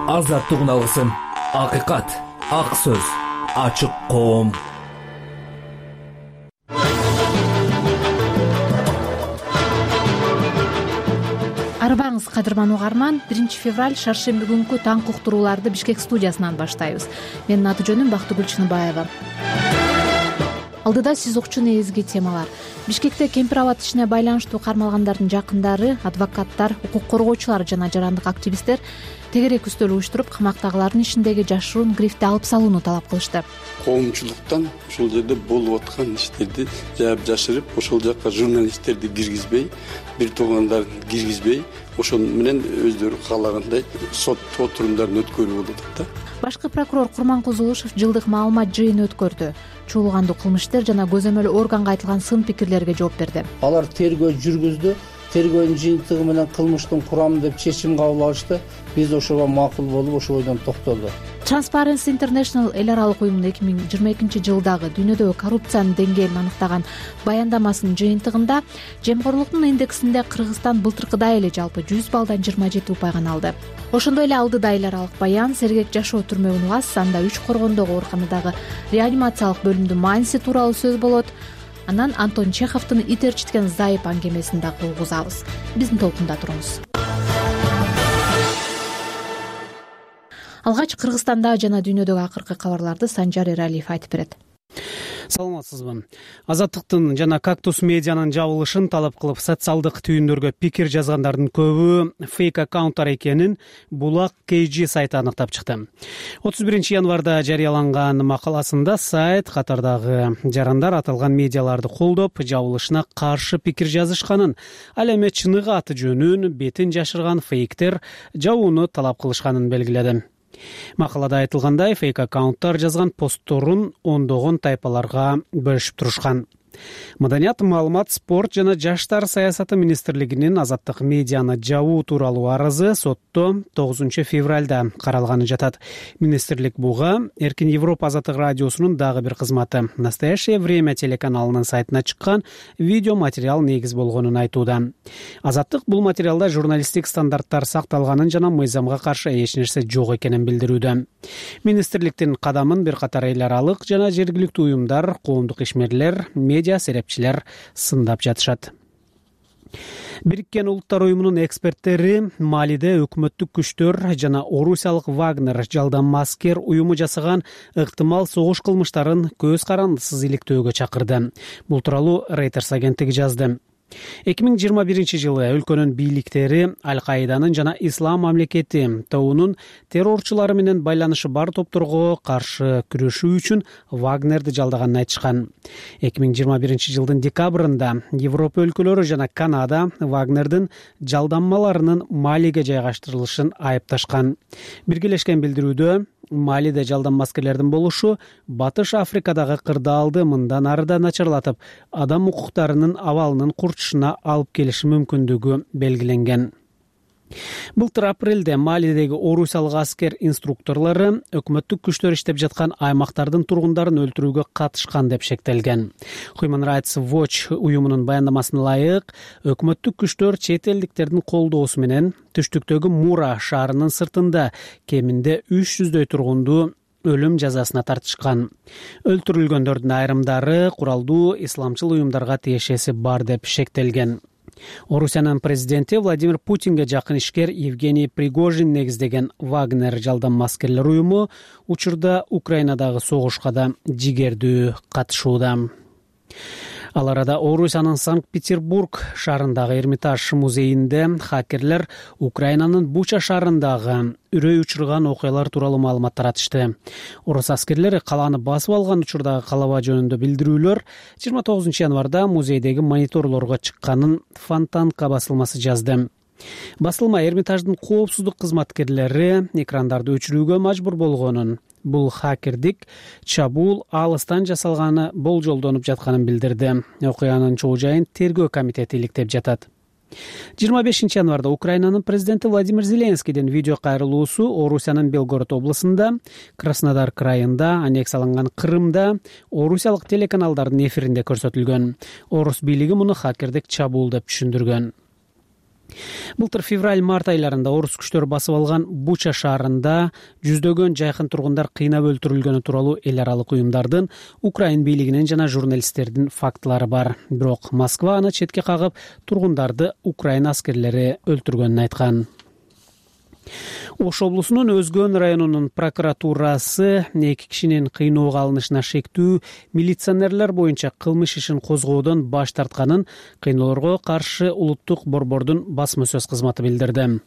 Азаттык алгысым, акыйкат, ак сөз, ачык коом. Арбаңыз кадырман угарман, 1 февраль шаршемби күнкү таңкы уктурууларды Бишкек студиясынан баштайбыз. Менин аты жөнүм Бактыгүл Чыныбаева. Алдыда сиз укчу негизги темалар. Бишкекте кемпир абад ишине байланыштуу кармалгандардын жакындары, адвокаттар, укук коргоочулар жана жарандык активисттер тегерек үстөл уюштуруп, камактагылардын ишиндеги жашыруун грифти алып салууну талап кылышты. Коомчулуктан ошол жерде болуп аткан иштерди жаап жашырып, ошол жакка журналисттерди киргизбей, бир туугандарын киргизбей, ошол менен өздөрү каалагандай сот отурумдарын өткөрүп болуп атат да. Башкы прокурор Курманкул Зулушев жылдык маалымат жыйыны өткөрдү. Чуулгандуу кылмыштер жана көзөмөл органга айтылган сын пикирлерге жооп берди. Алар тергөө жүргүздү. Тергөөнүн жыйынтыгы менен кылмыштын курамы деп чечим кабыл алышты. Биз ошого макул болуп, ошол бойдон токтолдук. Transparency International эл аралык уюмунун 2022 жылдагы дүйнөдөгү коррупциянын деңгээлин аныктаган баяндамасынын жыйынтыгында жемкорлуктун индексинде Кыргызстан былтыркыдай эле жалпы 100 баллдан 27 упай гана алды. Ошондой эле алдыда эл аралык баян Сергек жашоо түрмө унагасы, анда 3 коргондогу ооруканадагы реанимациялык бөлүмдүн мааниси тууралуу сөз болот. Анан Антон Чеховдун ит ээрчиткен зайып аңгемесин да кылгызабыз. Биздин толкунда туруңуз. Алгач Кыргызстанда жана дүйнөдөгү акыркы кабарларды Санжар Эралиев айтып берет. Саламатсызбы. Азаттыктын жана Кактус медианын жабылышын талап кылып социалдык түйүндөргө пикир жазгандардын көбү фейк аккаунттар экенин Булак KG сайты аныктап чыкты. 31 январда жарыяланган макаласында сайт катардагы жарандар аталган медиаларды колдоп, жабылышына каршы пикир жазышканын, ал эми чыныгы аты жөнүн, бетин жашырган фейктер жабууну талап кылышканын белгиледи. Макалада айтылгандай, фейк аккаунттар жазган постторун ондогон тайпаларга бөлүшүп турушкан. Маданият, маалымат, спорт жана жаштар саясаты министрлигинин азаттык медианы жабуу тууралуу арызы сотто 9 февралда каралганы жатат. Министрлик буга Эркин Европа азаттык радиосунун дагы бир кызматы Настоящее время телеканалынын сайтына чыккан видео материал негиз болгонун айтууда. Азаттык бул материалда журналисттик стандарттар сакталганын жана мыйзамга каршы эч нерсе жок экенин билдирүүдө. Министрликтин кадамын бир катар эл аралык жана жергиликтүү уюмдар, коомдук ишмерлер, медиа серепчилер сындап жатышат. Бириккен Улуттар уюмунун эксперттери Малиде өкмөттүк күчтөр жана орусиялык Вагнер жалданма аскер уюму жасаган ыктымал согуш кылмыштарын көз карандысыз иликтөөгө чакырды. Бул тууралуу Reuters агенттиги жазды. 2021 жылы өлкөнүн бийликтери Аль-Каиданын жана Ислам мамлекети тобунун террорчулары менен байланышы бар топторго каршы күрөшүү үчүн Вагнерди жалдаганын айтышкан. 2021 жылдын декабрында Европа өлкөлөрү жана Канада Вагнердин жалданмаларынын Малиге жайгаштырылышын айыпташкан. Биргелешкен билдирүүдө Малиде жалданма аскерлердин болушу Батыш Африкадагы кырдаалды мындан ары да начарлатып, адам укуктарынын абалынын курчушуна алып келиши мүмкүндүгү белгиленген. Былтыр апрелде Малидеги орусиялык аскер инструкторлору өкмөттүк күчтөр иштеп жаткан аймактардын тургундарын өлтүрүүгө катышкан деп шектелген. Human Rights Watch уюмунун баяндамасына ылайык, өкмөттүк күчтөр чет элдиктердин колдоосу менен түштүктөгү Мура шаарынын сыртында кеминде 300дөй тургунду өлүм жазасына тартышкан. Өлтүрүлгөндөрдүн айрымдары куралдуу исламчыл уюмдарга тиешеси бар деп шектелген. Орусиянын президенти Владимир Путинге жакын ишкер Евгений Пригожин негиздеген Вагнер жалданма аскерлер уюму учурда Украинадагы согушка да жигердүү катышууда. Ал арада Орусиянын Санкт-Петербург шаарындагы Эрмитаж музейинде хакерлер Украинанын Буча шаарындагы үрөй учурган окуялар тууралуу маалымат таратышты. Орус аскерлери калааны басып алган учурдагы калаба жөнүндө билдирүүлөр 29 январда музейдеги мониторлорго чыкканын Фонтанка басылмасы жазды. Басылма Эрмитаждын коопсуздук кызматкерлери экрандарды өчүрүүгө мажбур болгонун, бул хакердик чабуул алыстан жасалганы болжолдонуп жатканын билдирди. Окуянын чоо жайын тергөө комитети иликтеп жатат. 25 январда Украинанын президенти Владимир Зеленскийдин видео кайрылуусу Орусиянын Белгород областында, Краснодар крайында, аннексияланган Крымда орусиялык телеканалдардын эфиринде көрсөтүлгөн. Орус бийлиги муну хакердик чабуул деп түшүндүргөн. Былтыр февраль-март айларында орус күчтөрү басып алган Буча шаарында жүздөгөн жайкын тургундар кыйнап өлтүрүлгөнү тууралуу эл аралык уюмдардын, Украин бийлигинин жана журналисттердин фактылары бар. Бирок Москва аны четке кагып, тургундарды Украин аскерлери өлтүргөнүн айткан. Ош облусунун Өзгөн районунун прокуратурасы 2 кишинин кыйноого алынышына шектүү милиционерлер боюнча кылмыш ишин козгоодон баш тартканын кыйноолорго каршы улуттук борбордун басма сөз кызматы билдирди.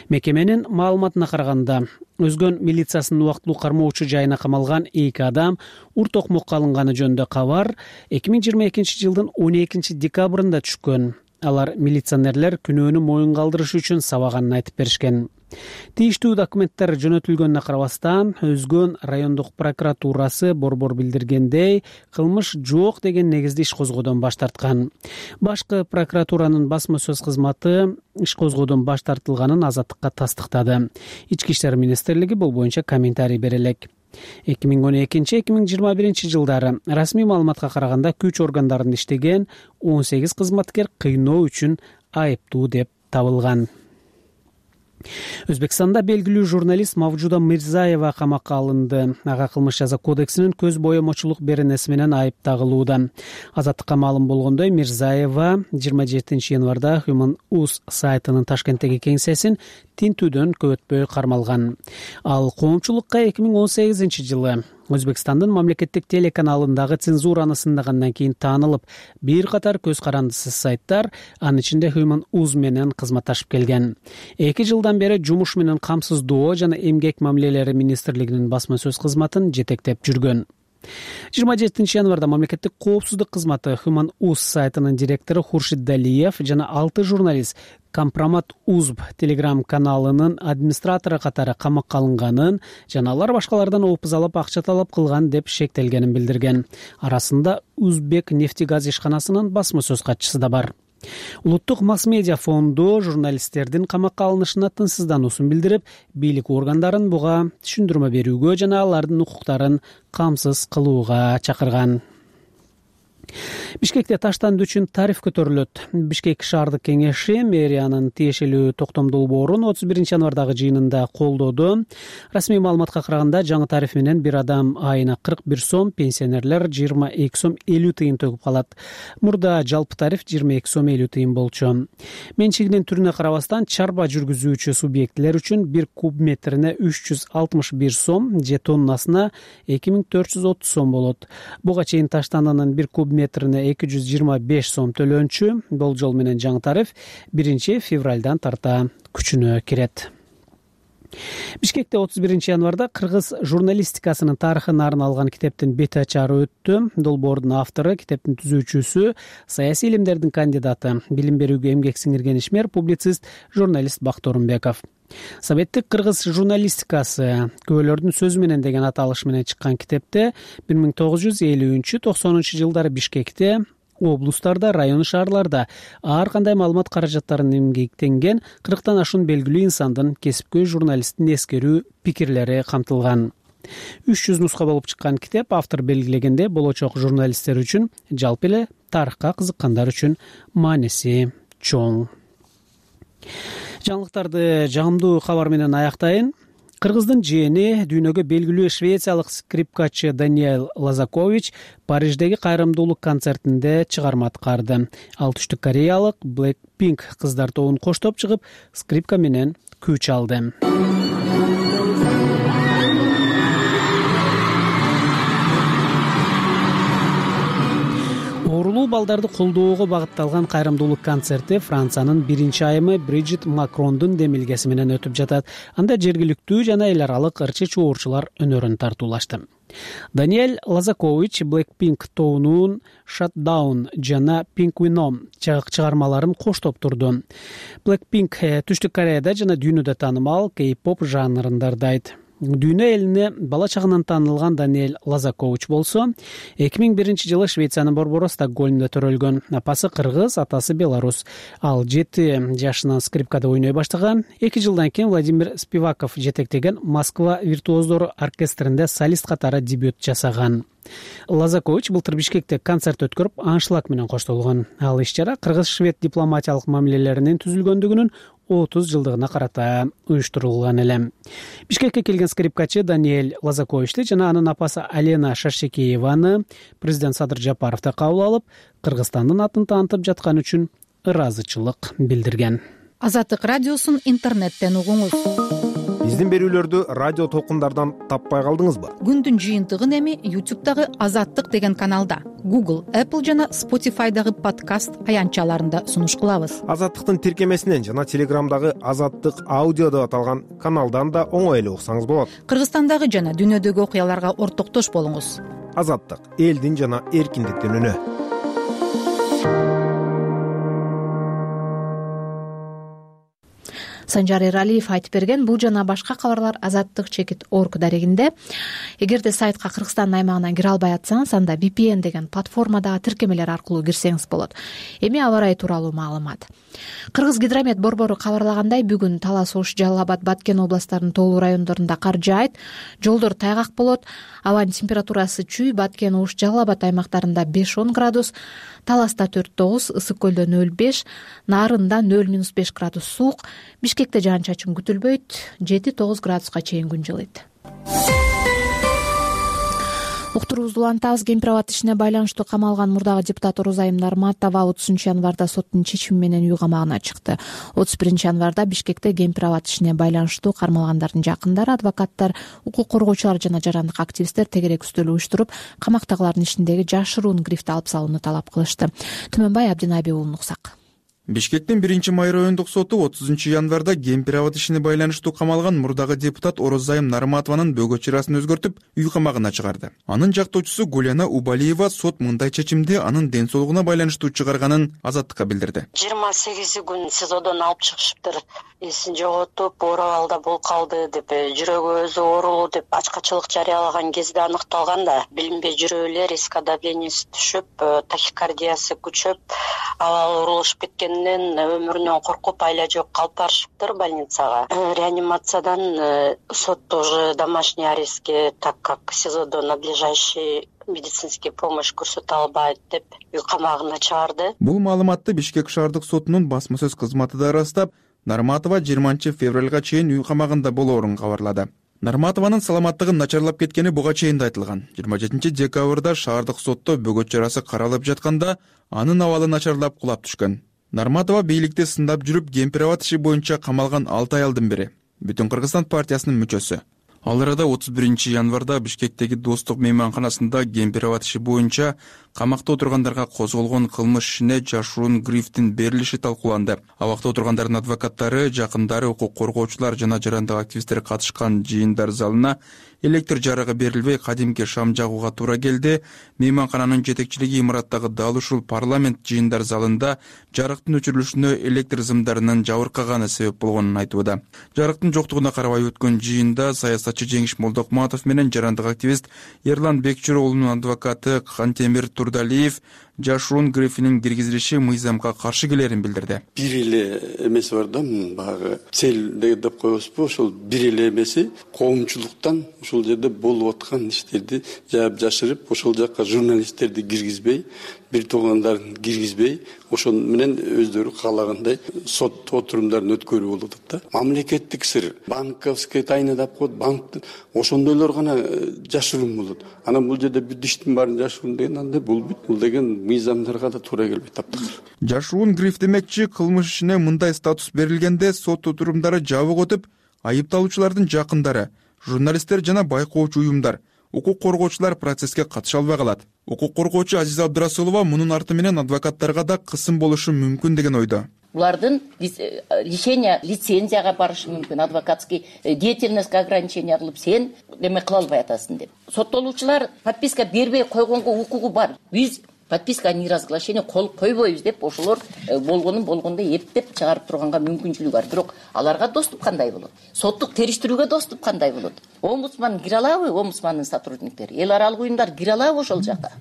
Мекеменин маалыматына караганда, Өзгөн милициясынын убактылуу кармоочу жайына камалган 2 адам урт окмокко алынганы жөнүндө кабар 2022 жылдын 12 декабрында түшкөн. Алар милиционерлер күнөөнү моюнга алдырыш үчүн сабаганын айтып беришкен. Тийиштүү документтер жөнөтүлгөнүнө карабастан, Өзгөн райондук прокуратурасы борбор билдиргендей, кылмыш жок деген негизде иш козгоодон баш тарткан. Башкы прокуратуранын басма сөз кызматы иш козгоодон баш тартылганын Азаттыкка тастыктады. Ички иштер министрлиги бул боюнча комментарий бере элек. 2012-2021 жылдары расмий маалыматка караганда күч органдарында иштеген 18 кызматкер кыйноо үчүн айыптуу деп табылган. Өзбекстанда белгилүү журналист Мавжуда Мирзаева камакка алынды. Ага кылмыш жаза кодексинин көз боемочулук беренеси менен айып тагылууда. Азаттыкка маалым болгондой, Мирзаева 27 январда Human Uz сайтынын Ташкенттеги кеңсесин тинтүүдөн көп өтпөй кармалган. Ал коомчулукка 2018 жылы Өзбекстандын мамлекеттик телеканалындагы цензураны сындагандан кийин таанылып, бир катар көз карандысыз сайттар, анын ичинде Human Uz менен кызматташып келген. 2 жылдан бери жумуш менен камсыздоо жана эмгек мамилелери министрлигинин басма сөз кызматын жетектеп жүргөн. 27 январда мамлекеттик коопсуздук кызматы Human Uz сайтынын директору Хуршид Далиев жана 6 журналист Компромат Узб телеграм каналынын администратору катары камакка алынганын жана алар башкалардан опуз алып акча талап кылган деп шектелгенин билдирген. Арасында Узбек нефтегаз ишканасынын басма сөз катчысы да бар. Улуттук масс-медиа фонду журналисттердин камакка алынышына тынчсыздануусун билдирип, бийлик органдарын буга түшүндүрмө берүүгө жана алардын укуктарын камсыз кылууга чакырган. Бишкекте таштандуу үчүн тариф көтөрүлөт. Бишкек шаардык кеңеши мэриянын тиешелүү токтомдуу борун 31 январдагы жыйынында колдоду. Расмий маалыматка караганда, жаңы тариф менен бир адам айына 41 сом, пенсионерлер 22 сом 50 тыйын төгүп калат. Мурда жалпы тариф 22 сом 50 тыйын болчу. Менчигинин түрүнө карабастан, чарба жүргүзүүчү субъектлер үчүн 1 куб метрине 361 сом, же тоннасына 2430 сом болот. Буга чейин таштандынын 1 куб метрине 225 сом төлөнчү. Болжол менен жаңы тариф 1 февралдан тарта күчүнө кирет. Бишкекте 31 январда кыргыз журналистикасынын тарыхына арналган китептин бет ачары өттү. Долбоордун автору, китептин түзүүчүсү, саясий илимдердин кандидаты, билим берүүгө эмгек сиңирген ишмер, публицист, журналист Бактоорунбеков. Советтик кыргыз журналистикасы көбөлөрдүн сөзү менен деген аталыш менен чыккан китепте 1950-90 жылдары Бишкекте, облустарда, район шаарларда ар кандай маалымат каражаттарын эмгектенген 40тан ашуун белгилүү инсандын, кесипкөй журналисттин эскерүү пикирлери камтылган. 300 нуска болуп чыккан китеп, автор белгилегенде, болочок журналисттер үчүн, жалпы эле тарыхка кызыккандар үчүн мааниси чоң. Жаңылыктарды жагымдуу кабар менен аяктайын. Кыргыздын жээни, дүйнөгө белгилүү швециялык скрипкачы Даниэль Лазакович Париждеги кайрымдуулук концертинде чыгарма аткарды. Ал түштүк кореялык Blackpink кыздар тобун коштоп чыгып, скрипка менен күү чалды. Оорулуу балдарды колдоого багытталган кайрымдуулук концерти Франциянын 1-айымы Бриджит Макрондун демилгеси менен өтүп жатат. Анда жергиликтүү жана эл аралык ырчы чуурчулар өнөрүн тартуулашты. Даниэль Лазакович Blackpink тобунун Shutdown жана Pink чыгармаларын коштоп турду. Blackpink түштүк Кореяда жана дүйнөдө таанымал кей-поп жанрында ырдайт. Дүйнө элине бала чагынан таанылган Даниэль Лазакович болсо 2001-жылы Швециянын борбору Стокгольмдо төрөлгөн. Апасы кыргыз, атасы белорус. Ал 7 жашынан скрипкада ойной баштаган. 2 жылдан кийин Владимир Спиваков жетектеген Москва виртуоздору оркестринде солист катары дебют жасаган. Лазакович былтыр Бишкекте концерт өткөрүп, аншлаг менен коштолгон. Ал иш-чара кыргыз-швед дипломатиялык мамилелеринин түзүлгөндүгүнүн 30 жылдыгына карата уюштурулган эле. Бишкекке келген скрипкачы Даниэль Лазаковичти жана анын апасы Алена Шашекееваны президент Садыр Жапаровду кабыл алып, Кыргызстандын атын таанытып жатканы үчүн ыраазычылык билдирген. Азаттык радиосун интернеттен угуңуз. Биздин берүүлөрдү радио толкундардан таппай калдыңызбы? Күндүн жыйынтыгын эми YouTube'дагы Азаттык деген каналда, Google, Apple жана Spotify'дагы подкаст аянтчаларында сунуш кылабыз. Азаттыктын тиркемесинен жана Телеграмдагы Азаттык аудио деп аталган каналдан да оңой эле уксаңыз болот. Кыргызстандагы жана дүйнөдөгү окуяларга ортоктош болуңуз. Азаттык — элдин жана эркиндиктин үнү. Санжар Эралиев айтып берген бул жана башка кабарлар Азаттык-org дарегинде. Эгерде сайтка Кыргызстандын аймагынан кире албай атсаңыз, анда VPN деген платформадагы тиркемелер аркылуу кирсеңиз болот. Эми аба ырайы тууралуу маалымат. Кыргыз гидромет борбору кабарлагандай, бүгүн Талас, Ош, Жалал Абад, Баткен областтарынын тоолуу райондорунда кар жаайт, жолдор тайгак болот. Абанын температурасы чүй, Баткен, Ош, Жалал Абад аймактарында 5-10 градус, Таласта 4-9, Ысык көлдө 0-5, Нарында 0-5 градус суук, Бишкекте жаан-чачын күтүлбөйт, 7-9 градуска чейин күн жылыйт. Уктуруубузду улантабыз. Кемпир абад ишине байланыштуу камалган мурдагы депутат Орозайым Нарматова 30-январда соттун чечими менен үй камагына чыкты. 31-январда Бишкекте кемпир абад ишине байланыштуу кармалгандардын жакындары, адвокаттар, укук коргоочулар жана жарандык активисттер тегерек үстөл уюштуруп, камактагылардын ишиндеги жашыруун грифти алып салууну талап кылышты. Түмөнбай Абдинабий уулун уксак. Бишкектин 1-май райондук соту 30-январда кемпир абад ишине байланыштуу камалган мурдагы депутат Орозайым Нарматованын бөгөт чырасын өзгөртүп, үй камагына чыгарды. Анын жактоочусу Гуляна Убалиева сот мындай чечимди анын ден соолугуна байланыштуу чыгарганын Азаттыкка билдирди. 28 күн СИЗОдон алып чыгышыптыр. Эсин жоготуп, оор абалда болуп калды деп, жүрөгү өзү оорулуу деп ачкачылык жарыялаган кезде аныкталган да. Билинбей жүрүп эле риск давлениеси түшүп, тахикардиясы күчөп, абалы оорулушуп кеткенинен өмүрүнөн коркуп айла жок калып барышыптыр больницага. Реанимациядан сотто уже домашний арестке, так как СИЗОдо надлежащий медицинский помощь көрсөтө албайт деп үй камагына чыгарды. Бул маалыматты Бишкек шаардык сотунун басма сөз кызматы да ырастап, Нарматова 20-февралга чейин үй камагында болоорун кабарлады. Нарматованын саламаттыгын начарлап кеткени буга чейин да айтылган. 27-декабрда шаардык сотто бөгөт чарасы каралып жатканда анын абалы начарлап кулап түшкөн. Нарматова бийликти сындап жүрүп, кемпир абад иши боюнча камалган 6 аялдын бири. Бүтүн Кыргызстан партиясынын мүчөсү. Ал арада 31-январда Бишкектеги Достук мейманканасында кемпир абад иши боюнча камакта отургандарга козголгон кылмыш ишине жашыруун грифтин берилиши талкууланды. Абакта отургандардын адвокаттары, жакындары, укук коргоочулар жана жарандык активисттер катышкан жыйындар залына электр жарыгы берилбей, кадимки шам жагууга туура келди. Мейманкананын жетекчилиги имараттагы дал ушул парламент жыйындар залында жарыктын өчүрүлүшүнө электр зымдарынын жабыркаганы себеп болгонун айтууда. Жарыктын жоктугуна карабай өткөн жыйында саясатчы Жеңиш Молдокматов менен жарандык активист Эрлан Бекчироолунун адвокаты Кантемир Турдалиев жашыруун грифинин киргизилиши мыйзамга каршы келерин билдирди. Бир эле эмеси бар да, баягы цел деп коебузбу, ошол бир эле эмеси коомчулуктан ушул жерде болуп аткан иштерди жаап жашырып, ошол жакка журналисттерди киргизбей, бир туугандарын киргизбей, ошол менен өздөрү каалагандай сот отурумдарын өткөрүү болуп атат да. Мамлекеттик сыр, банковская тайна деп коет, банк ошондойлор гана жашыруун болот. Анан бул жерде бүт иштин баарын жашыруун деген андай болбойт. Бул деген мыйзамдарга да туура келбейт таптакыр. Жашыруун гриф демекчи, кылмыш ишине мындай статус берилгенде сот отурумдары жабык өтүп, айыпталуучулардын жакындары, журналисттер жана байкоочу уюмдар, укук коргоочулар процесске катыша албай калат. Укук коргоочу Азиза Абдырасулова мунун арты менен адвокаттарга да кысым болушу мүмкүн деген ойдо. Булардын лишение лицензияга барышы мүмкүн, адвокатский деятельностьке ограничение кылып сен эме кыла албай атасың деп. Соттолуучулар подписка бербей койгонго укугу бар. Биз подписка о неразглашении кол койбойбуз деп ошолор болгондой эптеп чыгарып турганга мүмкүнчүлүгү бар. Бирок аларга доступ кандай болот? Соттук териштирүүгө доступ кандай болот? Омбудсман кире алабы? Омбудсмандын сотрудниктери, эл аралык уюмдар кире алабы ошол жака?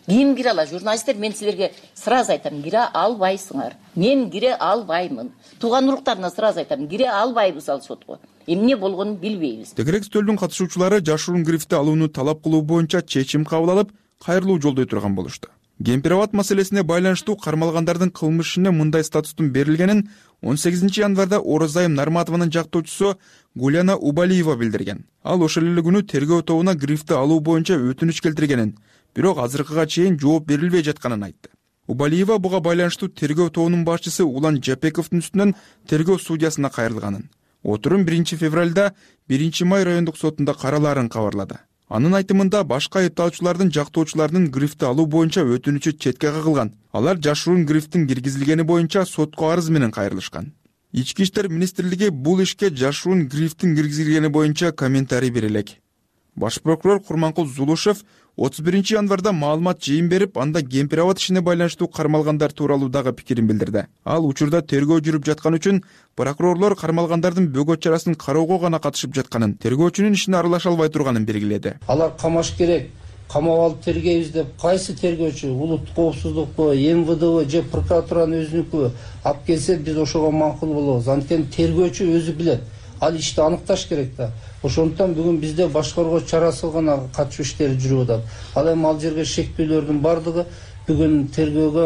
Ким кире алат? Журналисттер, мен силерге сразу айтам, кире албайсыңар. Мен кире албаймын. Тууган уруктарына сразу айтам, кире албайбыз ал сотко. Эмне болгонун билбейбиз. Тегерек стөлдүн катышуучулары жашыруун грифти алууну талап кылуу боюнча чечим кабыл алып, кайрылуу жолдой турган болушту. Кемпир-абад маселесине байланыштуу кармалгандардын кылмыш ишине мындай статустун берилгенин 18 январда Орозайым Нарматованын жактоочусу Гуляна Убалиева билдирген. Ал ошол эле күнү тергөө тобуна грифти алуу боюнча өтүнүч келтиргенин, бирок азыркыга чейин жооп берилбей жатканын айтты. Убалиева буга байланыштуу тергөө тобунун башчысы Улан Жапековдун үстүнөн тергөө судьясына кайрылганын. Отурум 1 февралда 1 май райондук сотунда каралаарын кабарлады. Анын айтымында башка айыпталуучулардын жактоочуларынын грифти алуу боюнча өтүнүчү четке кагылган. Алар жашыруун грифтин киргизилгени боюнча сотко арыз менен кайрылышкан. Ички иштер министрлиги бул ишке жашыруун грифтин киргизилгени боюнча комментарий бере элек. Баш прокурор Курманкул Зулушев 31 январда маалымат жыйын берип, анда Кемпир-абад ишине байланыштуу кармалгандар тууралуу дагы пикирин билдирди. Ал учурда тергөө жүрүп жаткан үчүн прокурорлор кармалгандардын бөгөт чарасын кароого гана катышып жатканын, тергөөчүнүн ишине аралаша албай турганын белгиледи. Алар камаш керек, камап алып тергейбиз деп кайсы тергөөчү, улуттук коопсуздукпу, МВДбы же прокуратуранын өзүнүкү алып келсе, биз ошого макул болобуз. Анткени тергөөчү өзү билет. Ал ишти аныкташ керек да. Ошондуктан бүгүн бизде башкаруу чарасы гана катышуу иштери жүрүп атат. Ал эми ал жерге шектүүлөрдүн бардыгы бүгүн тергөөгө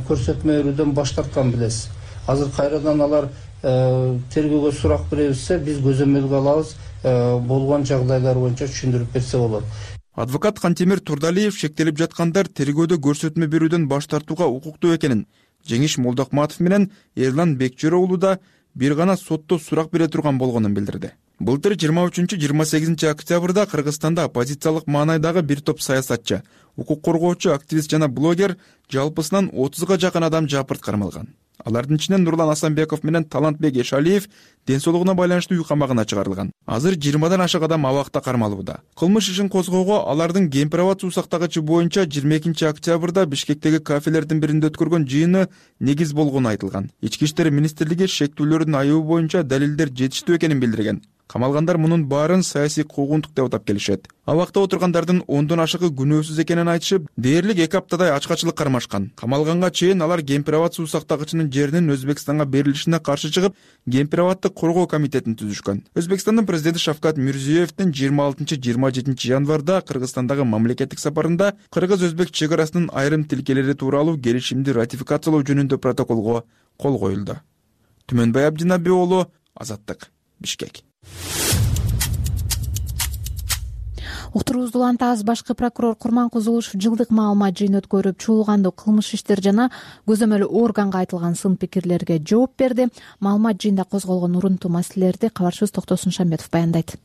көрсөтмө берүүдөн баш тарткан билесиз. Азыр кайрадан алар тергөөгө сурак беребизсе, биз көзөмөлгө алабыз, болгон жагдайлар боюнча түшүндүрүп берсе болот. Адвокат Кантемир Турдалиев шектелип жаткандар тергөөдө көрсөтмө берүүдөн баш тартууга укуктуу экенин, Жеңиш Молдокматов менен Эрлан Бекчөр уулу да бир гана сотто сурак бере турган болгонун билдирди. Былтыр 23-28 октябрда Кыргызстанда оппозициялык маанайдагы бир топ саясатчы, укук коргоочу, активист жана блогер жалпысынан 30га жакын адам жапырт кармалган. Алардын ичинен Нурлан Асанбеков менен Талантбек Эшалиев ден соолугуна байланыштуу үй камагына чыгарылган. Азыр 20дан ашык адам абакта кармалууда. Кылмыш ишин козгоого алардын Кемпир-абад суу сактагычы боюнча 22 октябрда Бишкектеги кафелердин биринде өткөргөн жыйыны негиз болгону айтылган. Ички иштер министрлиги шектүүлөрдүн айыбы боюнча далилдер жетиштүү экенин билдирген. Камалгандар мунун баарын саясий куугунтук деп атап келишет. Абакта отургандардын 10дон ашыгы күнөөсүз экенин айтышып, дээрлик 2 аптадай ачкачылык кармашкан. Камалганга чейин алар Кемпир-абад суу сактагычынын жеринин Өзбекстанга берилишине каршы чыгып, Кемпир-абадты коргоо комитетин түзүшкөн. Өзбекстандын президенти Шавкат Мирзиёевдин 26-27 январда Кыргызстандагы мамлекеттик сапарында кыргыз-өзбек чек арасынын айрым тилкелери тууралуу келишимди ратификациялоо жөнүндө протоколго кол коюлду. Түмөнбай Абдинаби уулу, Азаттык, Бишкек. Уктуруубузду улантабыз. Башкы прокурор Курманкул Зулушев жылдык маалымат жыйын өткөрүп, чуулгандуу кылмыш иштер жана көзөмөлү органга айтылган сын пикирлерге жооп берди. Маалымат жыйында козголгон урунтуу маселелерди кабарчыбыз Токтосун Шамбетов баяндайт.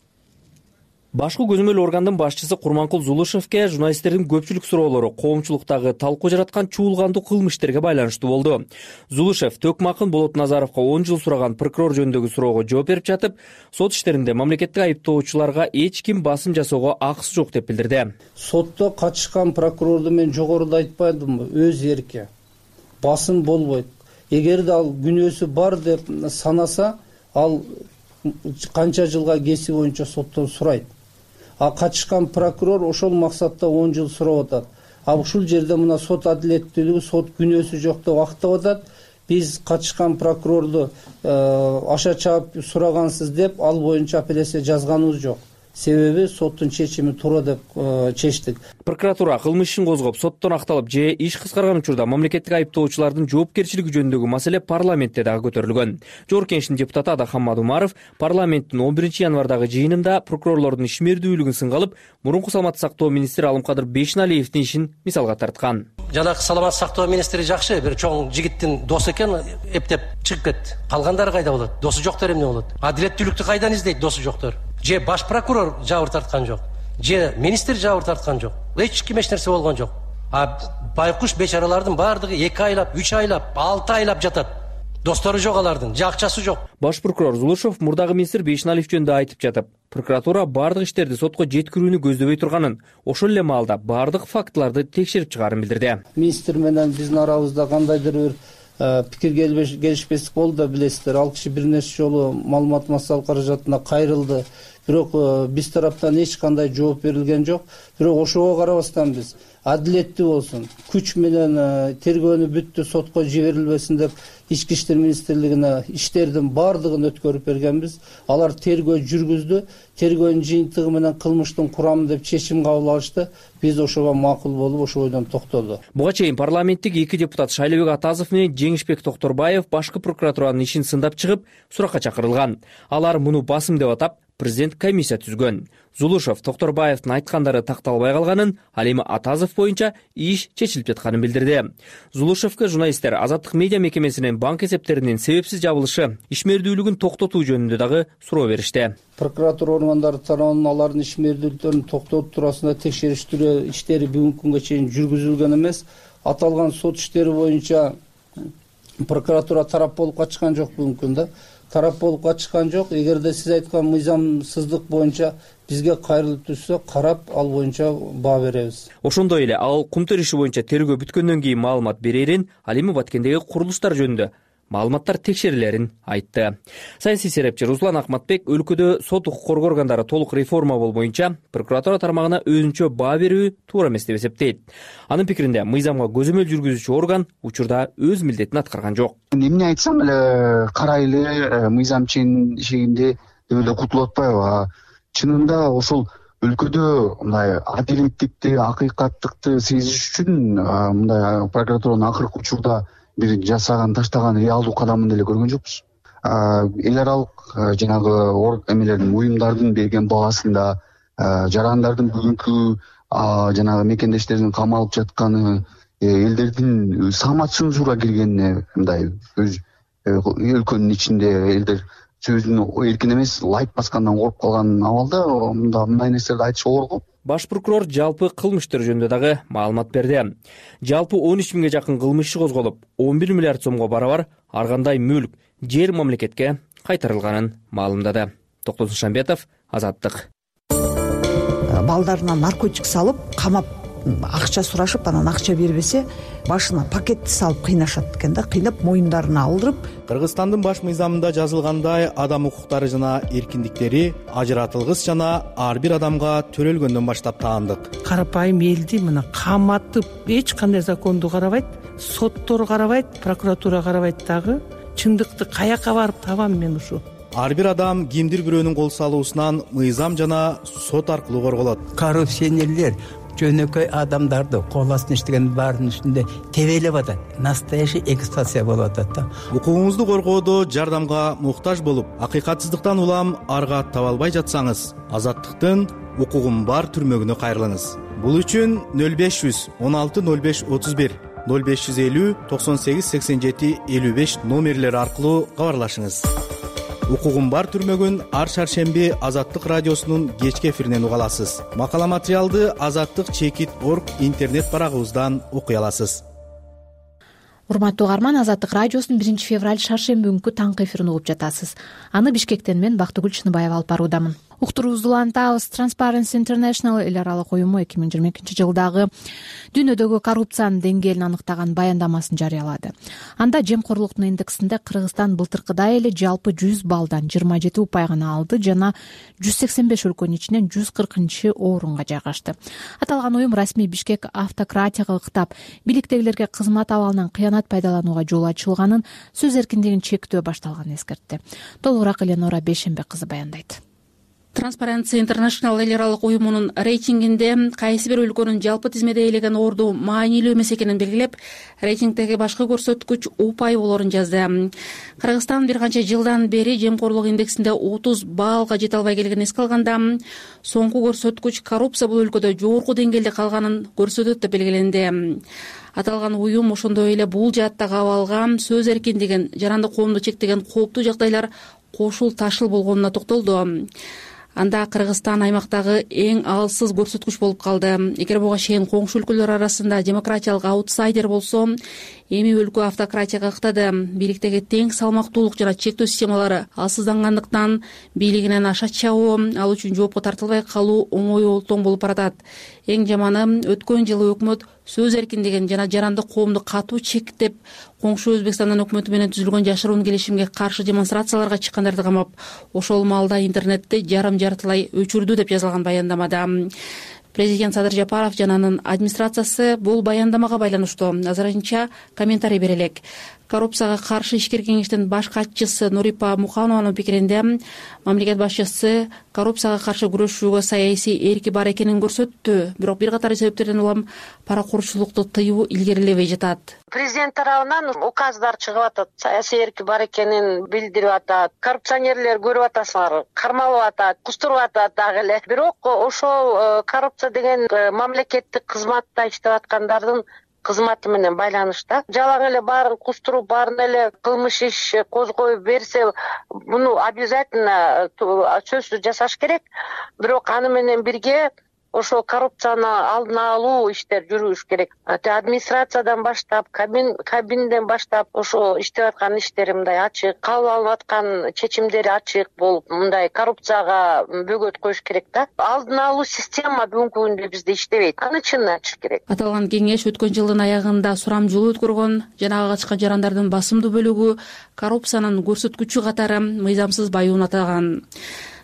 Башкы көзөмөл органдын башчысы Курманкул Зулушевке журналисттердин көпчүлүк суроолору коомчулуктагы талкуу жараткан чуулгандуу кылмыш иштерге байланыштуу болду. Зулушев Төкмакын Болотназаровго 10 жыл сураган прокурор жөнүндөгү суроого жооп берип жатып, сот иштеринде мамлекеттик айыптоочуларга эч ким басым жасоого акысы жок деп билдирди. Сотто катышкан прокурорду мен жогоруда айтпадымбы, өз эрки. Басым болбойт. Эгерде ал күнөөсү бар деп санаса, ал канча жылга кеси боюнча соттон сурайт. А катышкан прокурор ошол максатта 10 жыл сурап атат. А ушул жерде мына сот адилеттүүлүгү, сот күнөөсү жок деп актап атат. Биз катышкан прокурорду аша чаап сурагансыз деп ал боюнча апелляция жазганыбыз жок. Себеби соттун чечими туура деп чечтик. Прокуратура кылмыш ишин козгоп, соттон акталып же иш кыскарган учурда мамлекеттик айыптоочулардын жоопкерчилиги жөнүндөгү маселе парламентте дагы көтөрүлгөн. Жогорку Кеңештин депутаты Адахаммад Умаров парламенттин 11 январдагы жыйынында прокурорлордун ишмердүүлүгүн сынга алып, мурунку саламатты сактоо министри Алымкадыр Бейшеналиевдин ишин мисалга тарткан. Жанагы саламатты сактоо министри жакшы, бир чоң жигиттин досу экен, эптеп чыгып кетти. Калгандары кайда болот? Досу жоктор эмне болот? Адилеттүүлүктү кайдан издейт досу жоктор? Же баш прокурор жабыр тарткан жок, же министр жабыр тарткан жок, эч ким эч нерсе болгон жок. А байкуш бечаралардын баардыгы 2 айлап, 3 айлап, 6 айлап жатат. достору жок алардын, же акчасы жок. Баш прокурор Зулушев мурдагы министр Бейшеналиев жөнүндө айтып жатып, прокуратура бардык иштерди сотко жеткирүүнү көздөбөй турганын, ошол эле маалда бардык фактыларды текшерип чыгаарын билдирди. Министр менен биздин арабызда кандайдыр бир пикир келишпестик болду да билесиздер. Ал киши бир нече жолу маалымат массалык каражатына кайрылды. Бирок биз тараптан эч кандай жооп берилген жок. Бирок ошого карабастан биз адилеттүү болсун, күч менен тергөөнү бүттү, сотко жиберилбесин деп Ички иштер министрлигине иштердин баардыгын өткөрүп бергенбиз. Алар тергөө жүргүздү. Тергөөнүн жыйынтыгы менен кылмыштын курамы деп чечим кабыл алышты. Биз ошого макул болуп, ошол ойдон токтодук. Буга чейин парламенттик 2 депутат Шайлебек Атазов менен Жеңишбек Токторбаев башкы прокуратуранын ишин сындап чыгып, суракка чакырылган. Алар муну басым деп атап, президент комиссия түзгөн. Зулушев Токторбаевдин айткандары такталбай калганын, ал эми Атазов боюнча иш чечилип жатканын билдирди. Зулушевке журналисттер Азаттык медиа мекемесинин банк эсептеринин себепсиз жабылышы, ишмердүүлүгүн токтотуу жөнүндө дагы суроо беришти. Прокуратура органдары тарабынан алардын ишмердүүлүктөрүн токтотуу туурасында текшерүү иштери бүгүнкү күнгө чейин жүргүзүлгөн эмес. Аталган сот иштери боюнча прокуратура тарап болуп качкан жок бүгүнкү күндө. Тарап болуп качкан жок. Эгерде сиз айткан мыйзамсыздык боюнча бизге кайрылып түшсө, карап ал боюнча баа беребиз. Ошондой эле ал кумтөр иши боюнча тергөө бүткөндөн кийин маалымат берерин, ал эми Баткендеги курулуштар жөнүндө маалыматтар текшерилерин айтты. Саясий серепчи Руслан Акматбек өлкөдө сот укук коргоо органдары толук реформа боюнча прокуратура тармагына өзүнчө баа берүү туура эмес деп эсептейт. Анын пикиринде мыйзамга көзөмөл жүргүзүүчү орган учурда өз милдетин аткарган жок. Эмне айтсам эле карайлы мыйзам чегинде деп эле кутулуп атпайбы? Чынында ошол өлкөдө мындай адилеттикти, акыйкаттыкты сезиш үчүн мындай прокуратуранын акыркы учурда бир жасаган, таштаган реалдуу кадамын деле көргөн жокпуз. Эл аралык жанагы эмелердин, уюмдардын берген баасында, жарандардын бүгүнкү жанагы мекендештеринин камалып жатканы, элдердин самоцензура киргенине, мындай өз өлкөнүн ичинде элдер сөзүн эркин эмес, лайк баскандан коркуп калган абалда мындай нерселерди айтыш оор го. Баш прокурор жалпы кылмыш иштери жөнүндө дагы маалымат берди. Жалпы 13 миңге жакын кылмыш иши козголуп, 11 миллиард сомго барабар ар кандай мүлк, жер мамлекетке кайтарылганын маалымдады. Токтосун Шамбетов, Азаттык. Балдарына наркотик салып, камап, акча сурашып, анан акча бербесе, башына пакетти салып кыйнашат экен да, кыйнап моюндарына алдырып. Кыргызстандын баш мыйзамында жазылгандай адам укуктары жана эркиндиктери ажыратылгыс жана ар бир адамга төрөлгөндөн баштап таандык. Карапайым элди мына каматып, эч кандай законду карабайт, соттор карабайт, прокуратура карабайт дагы. Чындыкты каяка барып табам мен ушу? Ар бир адам кимдир бирөөнүн кол салуусунан мыйзам жана сот аркылуу корголот. Коррупционерлер жөнөкөй адамдарды кол астына иштеген баарынын үстүндө тебелеп атат. Настоящий эксплуатация болуп атат да. Укугуңузду коргоодо жардамга муктаж болуп, акыйкатсыздыктан улам арга таба албай жатсаңыз, Азаттыктын укугум бар түрмөгүнө кайрылыңыз. Бул үчүн 0500 16 05 31 0550 98 87 55 номерлери аркылуу кабарлашыңыз. Укугум бар түрмөгүн ар шаршемби Азаттык радиосунун кечки эфиринен уга аласыз. Макала материалды azattik.org интернет барагыбыздан окуй аласыз. Урматтуу угарман, Азаттык радиосунун 1-февраль шаршемби күнкү таңкы эфирин угуп жатасыз. Аны Бишкектен мен Бактыгүл Чыныбаева алып баруудамын. Уктуруубузду улантабыз. Transparency International эл аралык уюму 2022 жылдагы дүйнөдөгү коррупциянын деңгээлин аныктаган баяндамасын жарыялады. Анда жемкорлуктун индексинде Кыргызстан былтыркыдай эле жалпы 100 баллдан 27 упай гана алды жана 185 өлкөнүн ичинен 140-орунга жайгашты. Аталган уюм расмий Бишкек автократияга ыктап, бийликтегилерге кызмат абалынан кыянат пайдаланууга жол ачылганын, сөз эркиндигин чектөө башталганын эскертти. Толугураак Эленора Бейшембек кызы баяндайт. Transparency International эл аралык уюмунун рейтингинде кайсы бир өлкөнүн жалпы тизмеде ээлеген орду маанилүү эмес экенин белгилеп, рейтингдеги башкы көрсөткүч упай болоорун жазды. Кыргызстан бир канча жылдан бери жемкорлук индексинде 30 баллга жете албай келгенин эске алганда, соңку көрсөткүч коррупция бул өлкөдө жогорку деңгээлде калганын көрсөтөт деп белгиленди. Аталган уюм ошондой эле бул жааттагы абалга сөз эркиндигин, жаранды коомду чектеген кооптуу жагдайлар кошул ташыл болгонуна токтолду. Анда Кыргызстан аймактагы эң алсыз көрсөткүч болуп калды. Эгер буга чейин коңшу өлкөлөр арасында демократиялык аутсайдер болсо, эми өлкө автократияга ыктады. Бийликтеги тең салмактуулук жана чектөө системалары алсыздангандыктан бийлигинен аша чабуу, ал үчүн жоопко тартылбай калуу оңой олтоң болуп баратат. Эң жаманы өткөн жылы өкмөт сөз эркиндигин жана жарандык коомду катуу чектеп, коңшу Өзбекстандын өкмөтү менен түзүлгөн жашыруун келишимге каршы демонстрацияларга чыккандарды камап, ошол маалда интернетти жарым-жартылай өчүрдү деп жазылган баяндамада. Президент Садыр Жапаров жана анын администрациясы бул баяндамага байланыштуу азырынча комментарий бере элек. Коррупцияга каршы ишкер кеңештин баш катчысы Нурипа Муханованын пикиринде, мамлекет башчысы коррупцияга каршы күрөшүүгө саясий эрки бар экенин көрсөттү. Бирок бир катар себептерден улам паракурчулукту тыюу илгерилебей жатат. Президент тарабынан указдар чыгып атат, саясий эрки бар экенин билдирип атат. Коррупционерлер көрүп атасыңар, кармалып атат, кустуруп атат дагы эле. Бирок ошол коррупция деген мамлекеттик кызматта иштеп аткандардын кызматы менен байланышта. Жалаң эле баарын кустуруп, баарын эле кылмыш иш козгоюп берсе, муну обязательно сөзсүз жасаш керек. Бирок аны менен бирге ошо коррупцияны алдын алуу иштер жүрүш керек. Администрациядан баштап, кабинден баштап ошо иштеп аткан иштери мындай ачык, кабыл алынып аткан чечимдери ачык болуп, мындай коррупцияга бөгөт коюш керек да. Алдын алуу система бүгүнкү күндө бизде иштебейт. Аны чынын ачыш керек. Аталган кеңеш өткөн жылдын аягында сурамжылоо өткөргөн жана ага катышкан жарандардын басымдуу бөлүгү коррупциянын көрсөткүчү катары мыйзамсыз баюун атаган.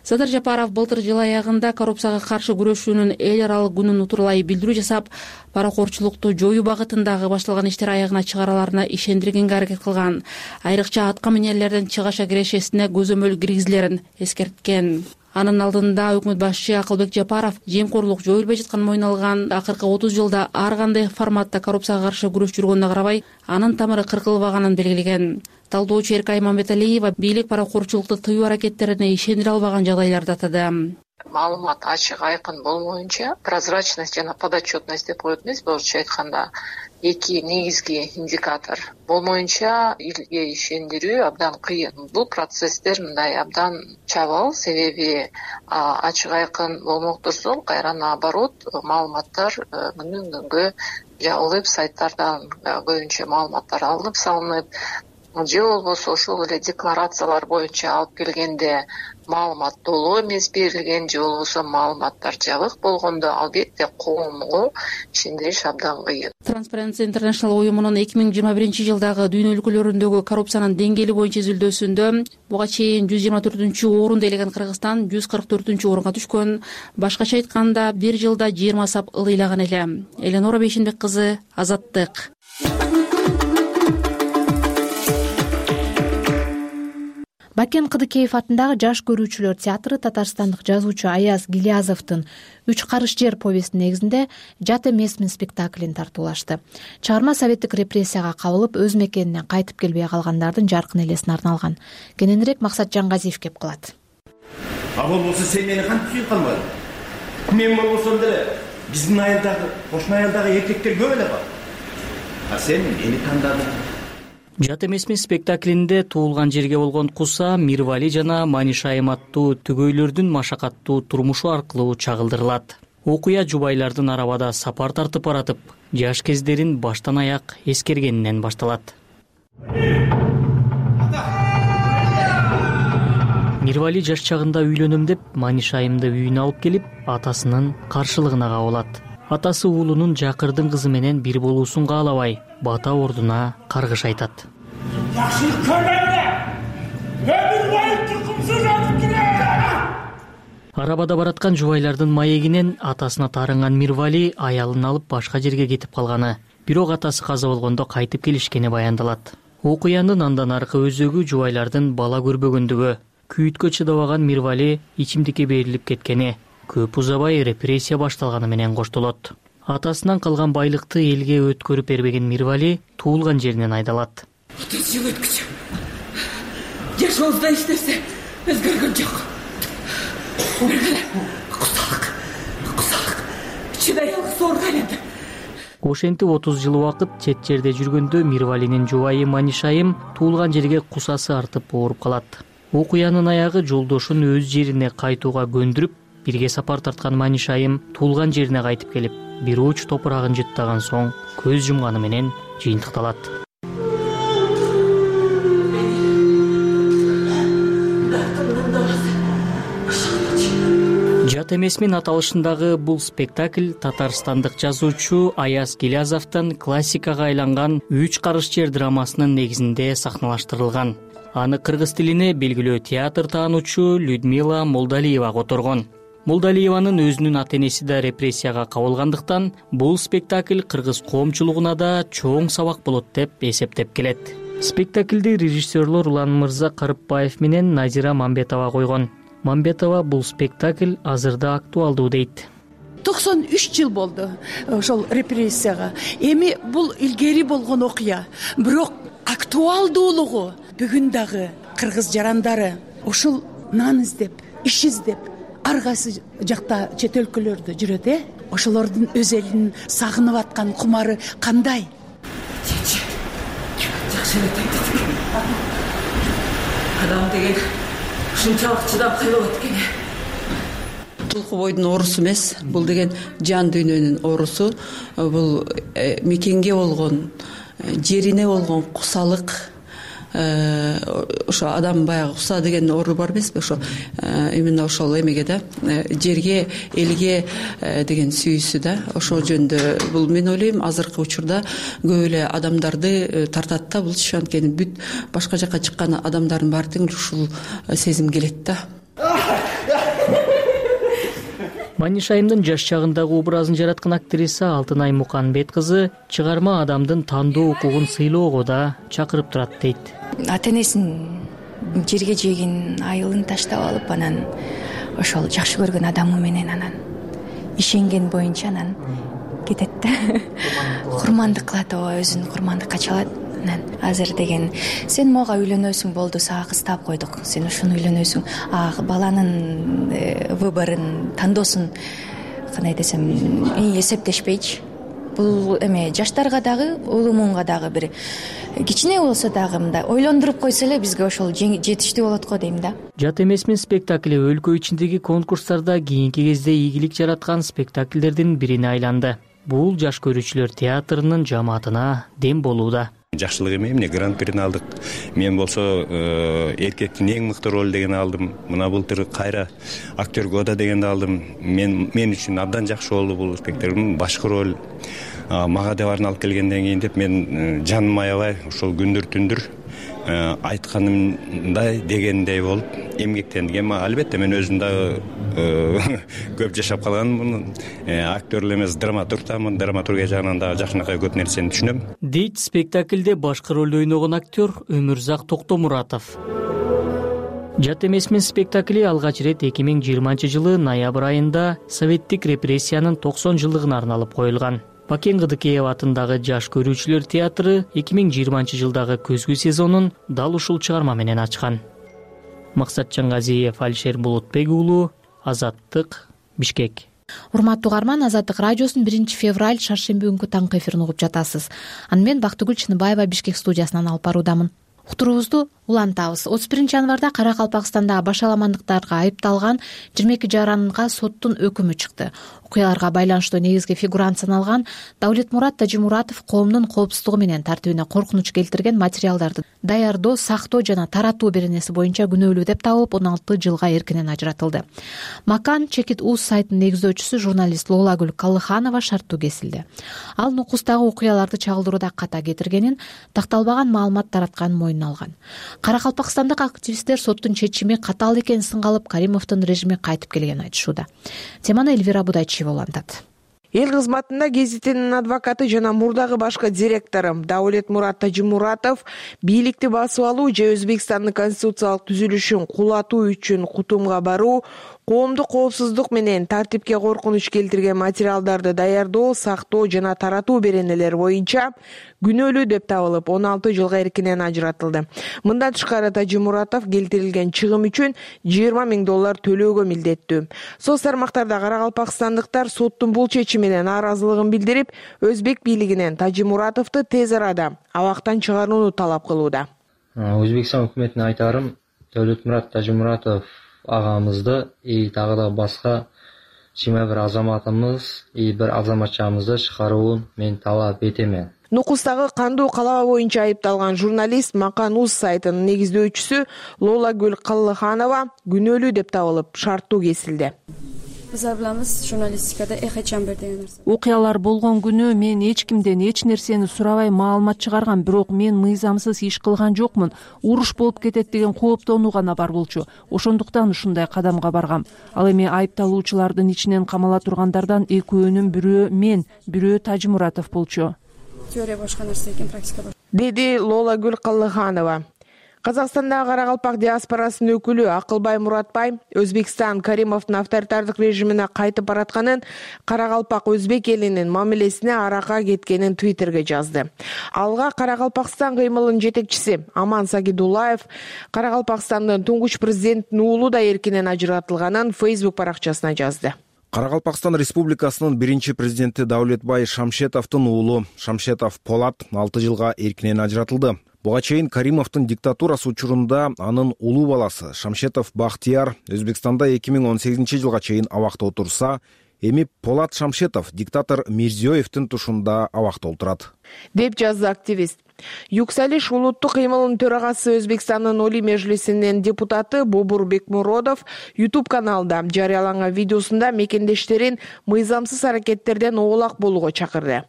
Садыр Жапаров былтыр жыл аягында коррупцияга каршы күрөшүүнүн эл аралык күнүн утурлай билдирүү жасап, паракорчулукту жоюу багытындагы башталган иштер аягына чыгараларына ишендиргенге аракет кылган. Айрыкча атка минерлердин чыгаша кирешесине көзөмөл киргизилерин эскерткен. Анын алдында өкмөт башчы Акылбек Жапаров жемкорлук жоюлбай жатканын мойнуна алган. Акыркы 30 жылда ар кандай форматта коррупцияга каршы күрөш жүргөнүнө карабай, анын тамыры кыркылбаганын белгилеген. Талдоочу Эркай Мамбеталиева бийлик паракорчулукту тыюу аракеттерине ишендире албаган жагдайларды атады. Маалымат ачык айкын болмоюнча, прозрачность жана подотчетность деп коет эмес, орусча айтканда, эки негизги индикатор болмоюнча элге ишендирүү абдан кыйын. Бул процесстер мындай абдан чабал, себеби ачык айкын болмок турсун, кайра наоборот, маалыматтар күндөн күнгө жабылып, сайттардан көбүнчө маалыматтар алынып салынып, же болбосо ошол эле декларациялар боюнча алып келгенде маалымат толук эмес берилген, же болбосо маалыматтар жабык болгондо албетте коомго ишендириш абдан кыйын. Transparency International уюмунун 2021 жылдагы дүйнө өлкөлөрүндөгү коррупциянын деңгээли боюнча изилдөөсүндө буга чейин 124-орунду ээлеген Кыргызстан 144-орунга түшкөн. Башкача айтканда, бир жылда 20 сап ылыйлаган эле. Эленора Бейшенбек кызы, Азаттык. Бакен Кыдыкеев атындагы жаш көрүүчүлөр театры татарстандык жазуучу Аяз Гилязовдун «Үч карыш жер» повестин негизинде «Жат эмесмин» спектаклин тартуулашты. Чыгарма советтик репрессияга кабылып, өз мекенинен кайтып келбей калгандардын жаркын элесине арналган. Кененирээк Максат Жангазиев кеп кылат. А болбосо сен мени кантип сүйүп калбадың? Мен болбосом деле биздин айылдагы, кошуна айылдагы эркектер көп эле бар. А сен мени тандадың. Жат эмесмин спектаклинде туулган жерге болгон куса Мирвали жана Манишайым аттуу түгөйлөрдүн машакаттуу турмушу аркылуу чагылдырылат. Окуя жубайлардын арабада сапар тартып баратып, жаш кездерин баштан аяк эскергенинен башталат. Мирвали жаш чагында үйлөнөм деп Манишайымды үйүнө алып келип, атасынын каршылыгына кабылат. Атасы уулунун жакырдын кызы менен бир болуусун каалабай, бата ордуна каргыш айтат. Жакшылык көргөндө өмүр бою туркумсуз өтүп келет. Арабада бараткан жубайлардын маегинен атасына таарынган Мирвали аялын алып башка жерге кетип калганы, бирок атасы каза болгондо кайтып келишкени баяндалат. Окуянын андан аркы өзөгү жубайлардын бала көрбөгөндүгү, күйүткө чыдабаган Мирвали ичимдикке берилип кеткени, көп узабай репрессия башталганы менен коштолот. Атасынан калган байлыкты элге өткөрүп бербеген Мирвали туулган жеринен айдалат. 30 жыл өткүчө жашообузда эч нерсе өзгөргөн жок. Кусалык чыдай алгыс ооруга айланды. Ошентип 30 жыл убакыт чет жерде жүргөндө Мирвалинин жубайы Манишайым туулган жерге кусасы артып ооруп калат. Окуянын аягы жолдошун өз жерине кайтууга көндүрүп, бирге сапар тарткан Манишайым туулган жерине кайтып келип, бир уч топурагын жыттаган соң көз жумганы менен жыйынтыкталат. Жат эмесмин аталышындагы бул спектакль татарстандык жазуучу Аяз Гилязовдун классикага айланган «Үч карыш жер» драмасынын негизинде сахналаштырылган. Аны кыргыз тилине белгилүү театр таануучу Людмила Молдалиева которгон. Молдалиеванын өзүнүн ата-энеси да репрессияга кабылгандыктан бул спектакль кыргыз коомчулугуна да чоң сабак болот деп эсептеп келет. Спектакльди режиссерлор Улан Мырза Карыпбаев менен Назира Мамбетова койгон. Мамбетова бул спектакль азырда актуалдуу дейт. 93 жыл болду ошол репрессияга. Эми бул илгери болгон окуя, бирок актуалдуулугу бүгүн дагы кыргыз жарандары ушул нан издеп, иш издеп, ар кайсы жакта чет өлкөлөрдө жүрөт, ошолордун өз элин сагынып аткан кумары кандай? Жакшы эле айтты. Адам деген ушунчалык чыдамкайлуу экен. Тулку бойдун оорусу эмес, бул деген жан дүйнөнүн оорусу. Бул мекенге болгон, жерине болгон кусалык. Ошо адам баягы куса деген оору бар эмеспи? Ошо именно ошол эмеге да, жерге, элге деген сүйүүсү да. Ошол жөнүндө бул мен ойлойм азыркы учурда көп эле адамдарды тартат да. Булчу анткени бүт башка жакка чыккан адамдардын баары тең ушул сезим келет да. Маниш Айымдын жаш чагындагы образын жараткан актриса Алтынай Муканбет кызы чыгарма адамдын тандоо укугун сыйлоого да чакырып турат дейт. Ата-энесин жерге жегин айылын таштап алып, анан ошол жакшы көргөн адамы менен анан ишенген боюнча анан кетет да. Курмандык кылат, өзүн курмандыкка чалат. Анан азыр деген сен мага үйлөнөсүң, болду, сага кыз таап койдук, сен ушуну үйлөнөсүң. Баланын выборун, тандоосун кандай десем, эсептешпейчи. Бул эме жаштарга дагы, улумунга дагы бир кичине болсо дагы мындай ойлондуруп койсо эле бизге ошол жетиштүү болот го дейм да. Жат эмесмин спектакли өлкө ичиндеги конкурстарда кийинки кезде ийгилик жараткан спектакльдердин бирине айланды. Бул жаш көрүүчүлөр театрынын жамаатына дем болууда. Жакшылык эме, эмне гран-прини алдык. Мен болсо эркектин эң мыкты роль деген алдым. Мына былтыр кайра актер года дегенди алдым. Мен үчүн абдан жакшы болду бул спектакль. Башкы роль мага дебарын алып келгенден кийин деп мен жаным аябай ошол күндүр түндүр айтканымдай дегендей болуп эмгектендим. Албетте мен өзүм дагы көп жашап калганмын. Актер эмес, драматургмун. Драматургия жагынан дагы жакшынакай көп нерсени түшүнөм. Дейт спектакльде башкы ролду ойногон актер Өмүрзак Токтомуратов. Жат эмесмин спектакли алгач ирет 2020 ноябрь айында советтик репрессиянын 90 жылдыгына арналып коюлган. Бакен Кыдыкеева атындагы жаш көрүүчүлөр театры 2020 жылдагы көзгү сезонун дал ушул чыгарма менен ачкан. Максатжан Газиев, Алишер Булутбек уулу, Азаттык, Бишкек. Урматтуу угарман, Азаттык радиосунун 1 февраль шаршемби күнкү таңкы эфирин угуп жатасыз. Аны мен Бактыгүл Чыныбаева Бишкек студиясынан алып баруудамын. Уктуруубузду улантабыз. 31 январда Каракалпакстанда башаламандыктарга айыпталган 22 жаранга соттун өкүмү чыкты. Окуяларга байланыштуу негизги фигурант саналган Давлетмурат Тажимуратов коомдун коопсуздугу менен тартибине коркунуч келтирген материалдарды даярдоо, сактоо жана таратуу беренеси боюнча күнөөлүү деп табылып 16 жылга эркинен ажыратылды. Макан Чекит Уз сайтынын негиздөөчүсү журналист Лоолагүл Каллыханова шарттуу кесилди. Ал нукустагы окуяларды чагылдырууда ката кетиргенин, такталбаган маалымат таратканын мойнуна алган. Каракалпакстандык активисттер соттун чечими катаал экенин сынга алып, Каримовдун режими кайтып келгенин айтышууда. Теманы Эльвира Будайчиева улантат. Эл кызматында гезитинин адвокаты жана мурдагы башкы директору Давлетмурат Тажимуратов бийликти басып алуу же Өзбекстандын конституциялык түзүлүшүн кулатуу үчүн Кутумга баруу, коомдук коопсуздук менен тартипке коркунуч келтирген материалдарды даярдоо, сактоо жана таратуу беренелери боюнча күнөөлүү деп табылып 16 жылга эркинен ажыратылды. Мындан тышкары Тажимуратов келтирилген чыгым үчүн $20,000 төлөөгө милдеттүү. Соц тармактарда каракалпакстандыктар соттун бул чечиминен нааразылыгын билдирип, Өзбек бийлигинен Тажимуратовду тез арада абактан чыгарууну талап кылууда. Өзбекстан өкмөтүнө айтарым, Давлетмурат Тажимуратов агамызды дагы да башка 21 азаматымыз бир азаматчамызды чыгарууун мен талап этемен. Нукустагы кандуу калаба боюнча айыпталган журналист Макан Уз сайтынын негиздөөчүсү Лоолагүл Каллыханова күнөөлүү деп табылып шарттуу кесилди. Bizlar bilamiz, jurnalistikada echo chamber degan narsa. Окуялар болгон күнү мен эч кимден эч нерсени сурабай маалымат чыгаргам, бирок мен мыйзамсыз иш кылган жокмун. Уруш болуп кетет деген кооптонуу гана бар болчу. Ошондуктан ушундай кадамга баргам. Ал эми айыпталуучулардын ичинен камала тургандардан экөөнүн бирөө мен, бирөө Тажимуратов болчу. Теория башка нерсе экен, практика башка. Деди Лолагүл Каллыханова. Казакстандагы карагалпак диаспорасынын өкүлү Акылбай Муратбай Өзбекстан Каримовдун авторитардык режимине кайтып баратканын, Карагалпак өзбек элинин мамилесине арака кеткенин Твиттерге жазды. Алга Карагалпакстан кыймылынын жетекчиси Аман Сагидуллаев Карагалпакстандын туңгуч президенттин уулу да эркинен ажыратылганын Facebook баракчасына жазды. Карагалпакстан Республикасынын биринчи президенти Даулетбай Шамшетовдун уулу Шамшетов Полат 6 жылга эркинен ажыратылды. Буга чейин Каримовдун диктатурасы учурунда анын улуу баласы Шамшетов Бахтияр Өзбекстанда 2018-жылга чейин абакта отурса, эми Полат Шамшетов диктатор Мирзиёевдин тушунда абакта отурат, деп жазды активист. Юксалиш улуттук кыймылынын төрагасы Өзбекстандын Олий Межлисинин депутаты Бобур Бекмуродов YouTube каналында жарыяланган видеосунда мекендештерин мыйзамсыз аракеттерден оолак болууга чакырды.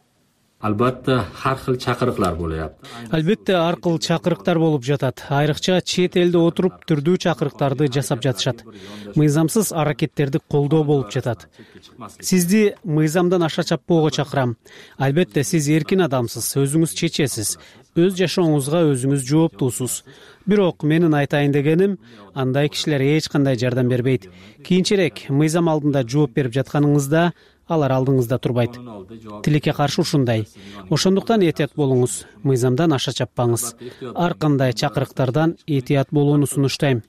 Албетте ар кыл чакырыктар болуп. Албетте ар кыл чакырыктар болуп жатат. Айрыкча чет элде отуруп түрдүү чакырыктарды жасап жатышат. Мыйзамсыз аракеттерди колдоо болуп жатат. Сизди мыйзамдан аша чаппоого чакырам. Албетте сиз эркин адамсыз, өзүңүз чечесиз. Өз жашооңузга өзүңүз жооптуусуз. Бирок менин айтайын дегеним, андай кишилер эч кандай жардам бербейт. Кийинчерээк мыйзам алдында жооп берип жатканыңызда алар алдыңызда турбайт. Тилекке каршы ушундай. Ошондуктан этият болуңуз, мыйзамдан аша чаппаңыз. Ар кандай чакырыктардан этият болууну сунуштайм.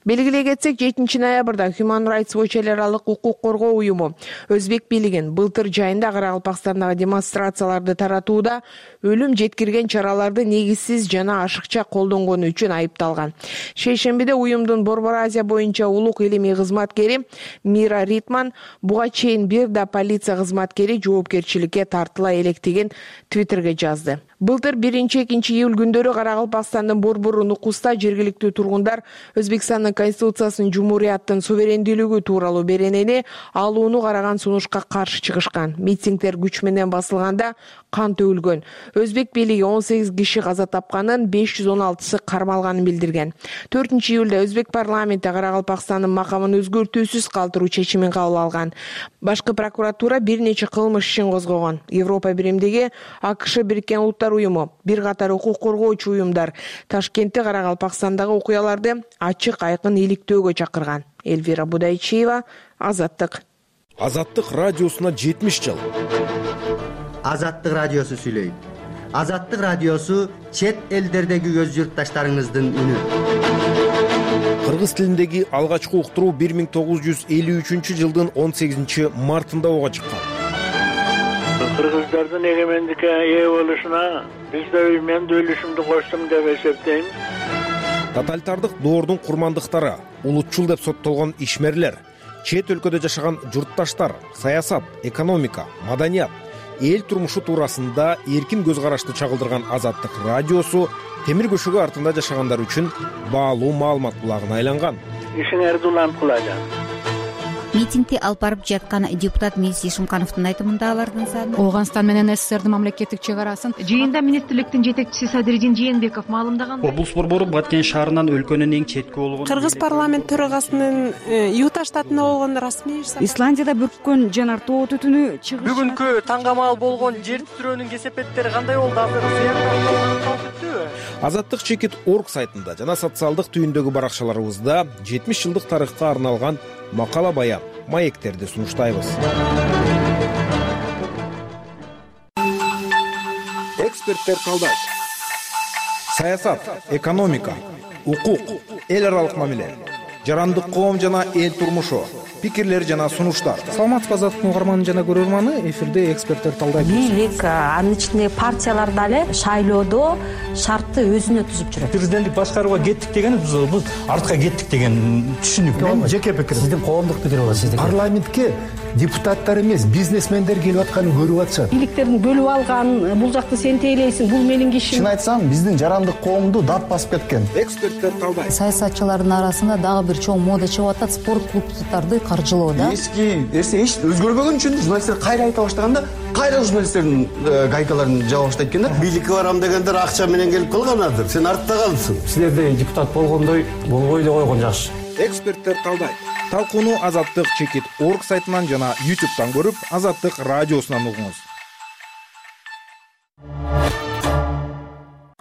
Белгилей кетсек, 7 ноябрда Human Rights Watch эл аралык укук коргоо уюму Өзбек бийлигин былтыр жайында Карагалпакстандагы демонстрацияларды таратууда өлүм жеткирген чараларды негизсиз жана ашыкча колдонгону үчүн айыпталган. Шейшембиде уюмдун Борбор Азия боюнча улук илимий кызматкери Мира Ритман буга чейин бир да полиция кызматкери жоопкерчиликке тартыла электигин Твиттерге жазды. Былтыр 1-2 июль күндөрү Карагалпакстандын Борбор Нукуста жергиликтүү тургундар Өзбекстандын Конституциясынын Жумурияттын суверендүүлүгү тууралуу беренени алууну караган сунушка каршы чыгышкан. Митингдер күч менен басылганда кан төгүлгөн. Өзбек бийлиги 18 киши каза тапканын, 516сы кармалганын билдирген. 4 июлда Өзбек парламенти Карагалпакстандын макамын өзгөртүүсүз калтыруу чечимин кабыл алган. Башкы прокуратура бир нече кылмыш ишин козгогон. Европа биримдиги АКШ Бириккен Улуттар уюму, бир катар укук коргоочу уюмдар Ташкентте Карагалпакстандагы окуяларды ачык айкын иликтөөгө чакырган. Элвира Будайчиева, Азаттык. Азаттык радиосуна 70 жыл. Азаттык радиосу сүйлөйт. Азаттык радиосу чет элдердеги өз журтташтарыңыздын үнү. Кыргыз тилиндеги алгачкы уктуруу 1953-жылдын 18 мартында ого чыккан. Кыргыздардын эгемендикке ээ болушуна мен да үлүшүмдү коштум деп эсептейм. Тоталитардык доордун курмандыктары, улутчул деп соттолгон ишмерлер, чет өлкөдө жашаган журтташтар, саясат, экономика, маданият, эл турмушу туурасында эркин көз карашты чагылдырган Азаттык радиосу темир көшөгө артында жашагандар үчүн баалуу маалымат булагына айланган. Ишиңерди улант кылажам. Митингди алып барып жаткан депутат Мирси Шымкановдун айтымында алардын саны Ооганстан менен СССРдин мамлекеттик чек арасын жыйында министрликтин жетекчиси Садырдин Жээнбеков маалымдаган. Облус борбору Баткен шаарынан өлкөнүн эң четки болгон Кыргыз парламент төрагасынын Юта штатында болгон расмий Исландияда бүрккөн жанар тоо түтүнү чыгыш. Бүгүнкү таңгамал болгон жер титирөөнүн кесепеттери кандай болду? Азаттык чекит.org сайтында жана социалдык түйүндөгү баракчаларыбызда 70 жылдык тарыхка арналган макала баян, маектерди сунуштайбыз. Эксперттер талдайт. Саясат, экономика, укук, эл аралык мамиле, жарандык коом жана эл турмушу, пикирлер жана сунуштар. Саламатсызбы Азаттыктын угарманы жана көрөрманы, эфирде эксперттер талдайт. Бийлик, анын ичинде партиялар дагы шайлоодо шартты өзүнө түзүп жүрөт. Президенттик башкарууга кеттик дегенибиз бул артка кеттик деген түшүнүк. Мен жеке пикирим. Сиздин коомдук пикир болот, сиздики. Парламентке депутаттар эмес, бизнесмендер келип атканын көрүп атышат. Бийликтерин бөлүп алган, бул жакты сен тейлейсиң, бул менин кишим. Чын айтсам, биздин жарандык коомду дат басып кеткен. Эксперттер талдайт. Саясатчылардын арасында дагы бир азыр чоң мода чыгып атат, спорт клубдарды каржылоо да. Эски нерсе эч өзгөрбөгөн үчүн журналисттер кайра айта баштаганда кайра журналисттердин гайкаларын жаба баштайт экен да. Бийликке барам дегендер акча менен келип калганадыр. Сен артта калдың. Силердей депутат болгондой болбой эле койгон жакшы. Эксперттер талдайт. Талкууну Азаттык.org сайтынан жана YouTube'дан көрүп, Азаттык радиосунан угуңуз.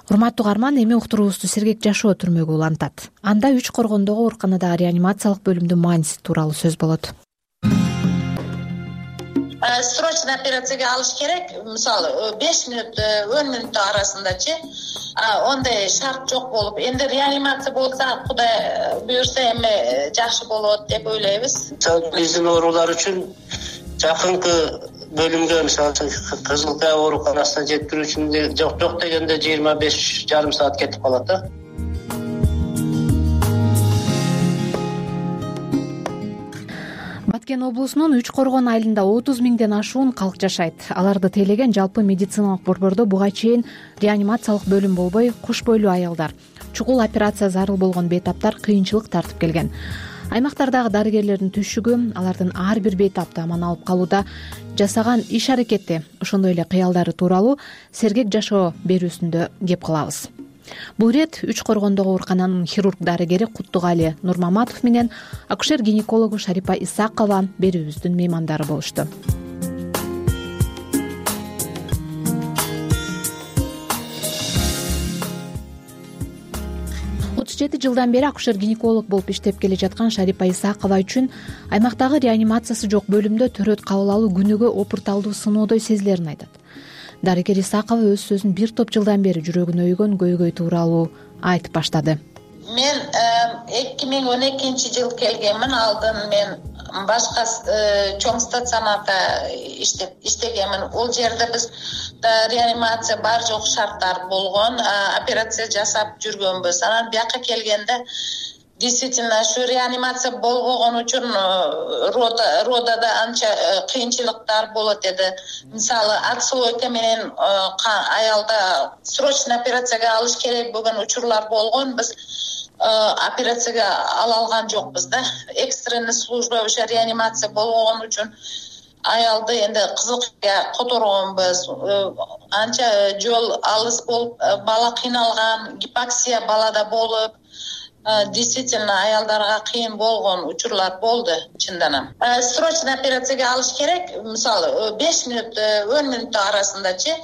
Урматтуу угарман, эми уктуруубузду Сергек Жашоо түрмөгү улантат. Анда 3 коргондогу ооруканадагы реанимациялык бөлүмдүн мааниси тууралуу сөз болот. Срочно операцияга алыш керек. Мисалы 5 мүнөт 10 мүнөт арасындачы ондай шарт жок болуп, энди реанимация болса, Кудай буйрса эми жакшы болот деп ойлойбуз. Биздин оорулар үчүн жакынкы бөлүмгө, мисалы Кызыл Кая ооруканасына жеткирүү үчүн жок дегенде 25,5 саат кетип калат да. Баткен облусунун 3 коргон айылында 30 миңден ашуун калк жашайт. Аларды тейлеген жалпы медициналык борбордо буга чейин реанимациялык бөлүм болбой, куш бойлуу аялдар, чугул операция зарыл болгон бейтаптар кыйынчылык тартып келген. Аймактардагы дарыгерлердин түшүгү, алардын ар бир бейтапты аман алып калууда жасаган иш-аракети, ошондой эле кыялдары тууралуу Сергек Жашоо берүүсүндө кеп кылабыз. Бул ирет 3 коргондогу оорукананын хирург дарыгери Куттугали Нурмаматов менен акушер-гинекологу Шарипа Исакова берүүбүздүн меймандары болушту. Жылдан бери акушер-гинеколог болуп иштеп келе жаткан Шарипа Исакова үчүн аймактагы реанимациясы жок бөлүмдө төрөт кабыл алуу күнүгө опурталдуу сыноодой сезилерин айтат. Дарыгер Исакова өз сөзүн бир топ жылдан бери жүрөгүнө өйгөн көйгөй тууралуу айтып баштады. Мен 2012 жыл келгенмин. Алдын мен башка чоң стационарда иштегенмин. Ол жерде биз реанимация бар жок шарттар болгон, операция жасап жүргөнбүз. Анан бияка келгенде действительно ушу реанимация болбогон үчүн родада анча кыйынчылыктар болот эди. Мисалы отслойка менен аялда срочно операцияга алыш керек болгон учурлар болгон. Биз операцияга ала алган жокпуз да. Экстренный служба ошо реанимация болбогон үчүн аялды энди Кызылкаяга которгонбуз. Анча жол алыс болуп, бала кыйналган, гипоксия балада болуп, действительно аялдарга кыйын болгон учурлар болду чындан. Срочно операцияга алыш керек. Мисалы 5 мүнөт 10 мүнөт арасындачы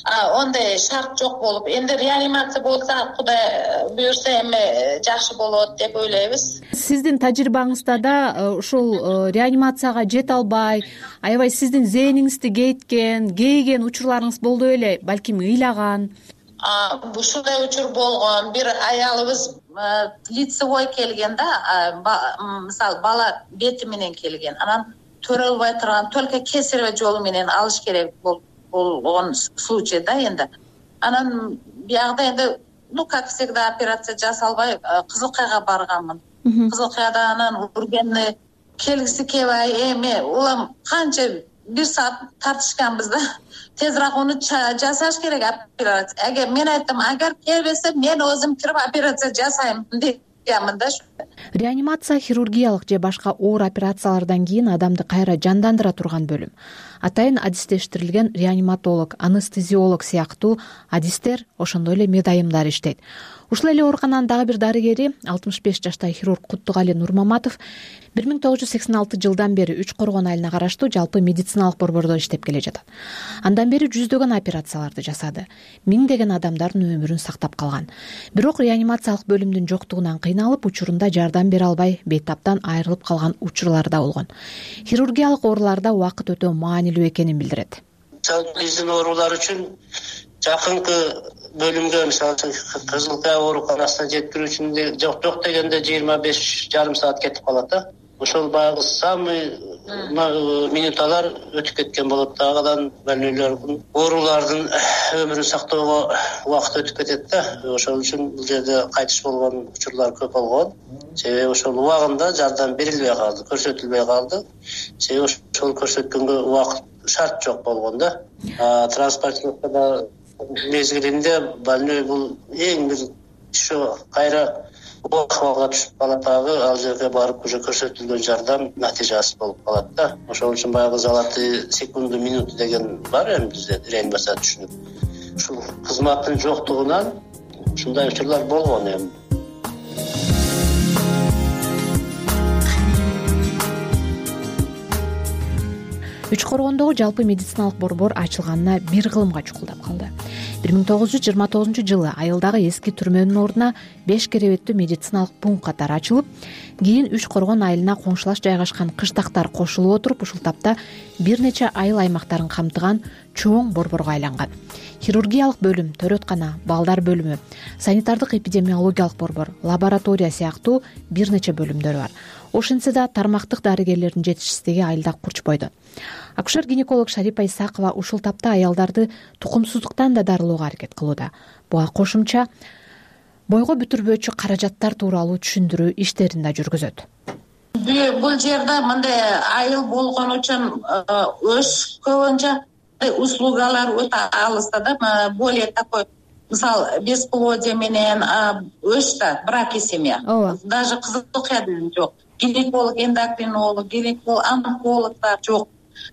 ондай шарт жок болуп, энди реанимация болса, Кудай буйрса эми жакшы болот деп ойлойбуз. Сиздин тажрыйбаңызда да ушул реанимацияга жете албай, аябай сиздин зээниңизди кейген учурларыңыз болду беле, балким ыйлаган? Ушундай учур болгон. Бир аялыбыз лицевой келген да, мисалы бала бети менен келген. Анан төрөлбөй турган, только кесарево жолу менен алыш керек болгон случай да энди. Анан биягда энди, как всегда, операция жасалбай Кызылкаяга барганмын. Кызылкаяда анан ургенни келгиси келбей, эми улам канча 1 саат тартышканбыз да. Тезирээк уну жасаш керек операция. Эгер мен айттым, агар келбесе мен өзүм кирип операция жасайм дегенмин да. Реанимация хирургиялык же башка оор операциялардан кийин адамды кайра жандандыра турган бөлүм. Атайын адистештирилген реаниматолог, анестезиолог сыяктуу адистер, ошондой эле медайымдар иштейт. Ушул эле оорукананын дагы бир дарыгери 65 жаштагы хирург Куттугали Нурмаматов 1986 жылдан бери 3 коргон айылына караштуу жалпы медициналык борбордо иштеп келе жатат. Андан бери жүздөгөн операцияларды жасады. Миңдеген адамдардын өмүрүн сактап калган. Бирок реанимациялык бөлүмдүн жоктугунан кыйналып, учурунда жардам бере албай, бейтаптан айрылып калган учурлар да болгон. Хирургиялык ооруларда убакыт өтө маанилүү экенин билдирет. Биздин оорулар үчүн жакынкы бөлүмгө, мисалы Кызыл Кая ооруканасына жеткирүү үчүн жок дегенде 25,5 саат кетип калат да. Ошол баягы самый минуталар өтүп кеткен болот. Дагыдан больнойлордун, оорулардын өмүрүн сактоого убакыт өтүп кетет да. Ошол үчүн бул жерде кайтыш болгон учурлар көп болгон. Себеби ошол убагында жардам берилбей калды, көрсөтүлбөй калды. Себеби ошол көрсөткөнгө убакыт шарт жок болгон да. Транспортировкада мезгилинде больной бул эң бир ошо кайра абалга түшүп калат дагы, ал жерге барып уже көрсөтүлгөн жардам натыйжасыз болуп калат да. Ошол үчүн баягы золотые секунды, минуты деген бар эми бизде реанимация түшүнүк. Ушул кызматтын жоктугунан ушундай учурлар болгон эми. Үч Коргондогу жалпы медициналык борбор ачылганына бир кылымга чукулдап калды. 1929-жылы айылдагы эски түрмөнүн ордуна 5 керебеттүү медициналык пункт катары ачылып, кийин Үч Коргон айылына коңшулаш жайгашкан кыштактар кошулуп отуруп, ушул тапта бир нече айыл аймактарын камтыган чоң борборго айланган. Хирургиялык бөлүм, төрөткана, балдар бөлүмү, санитардык эпидемиологиялык борбор, лаборатория сыяктуу бир нече бөлүмдөр бар. Ошентсе да тармактык дарыгерлердин жетишсиздиги айылда курч бойду. Акушер-гинеколог Шарипа Исакова ушул тапта аялдарды тукумсуздуктан да дарылоого аракет кылууда. Буга кошумча бойго бүтүрбөөчү каражаттар тууралуу түшүндүрүү иштерин да жүргүзөт. Бул жерде мындай айыл болгон үчүн өз көбүнчө услугалар өтө алыста да, более такой, мисалы, бесплодие менен өстө брак и семья. Даже кызыл окуя жок. Гинеколог, эндокринолог, гинеколог, онкологдор жок.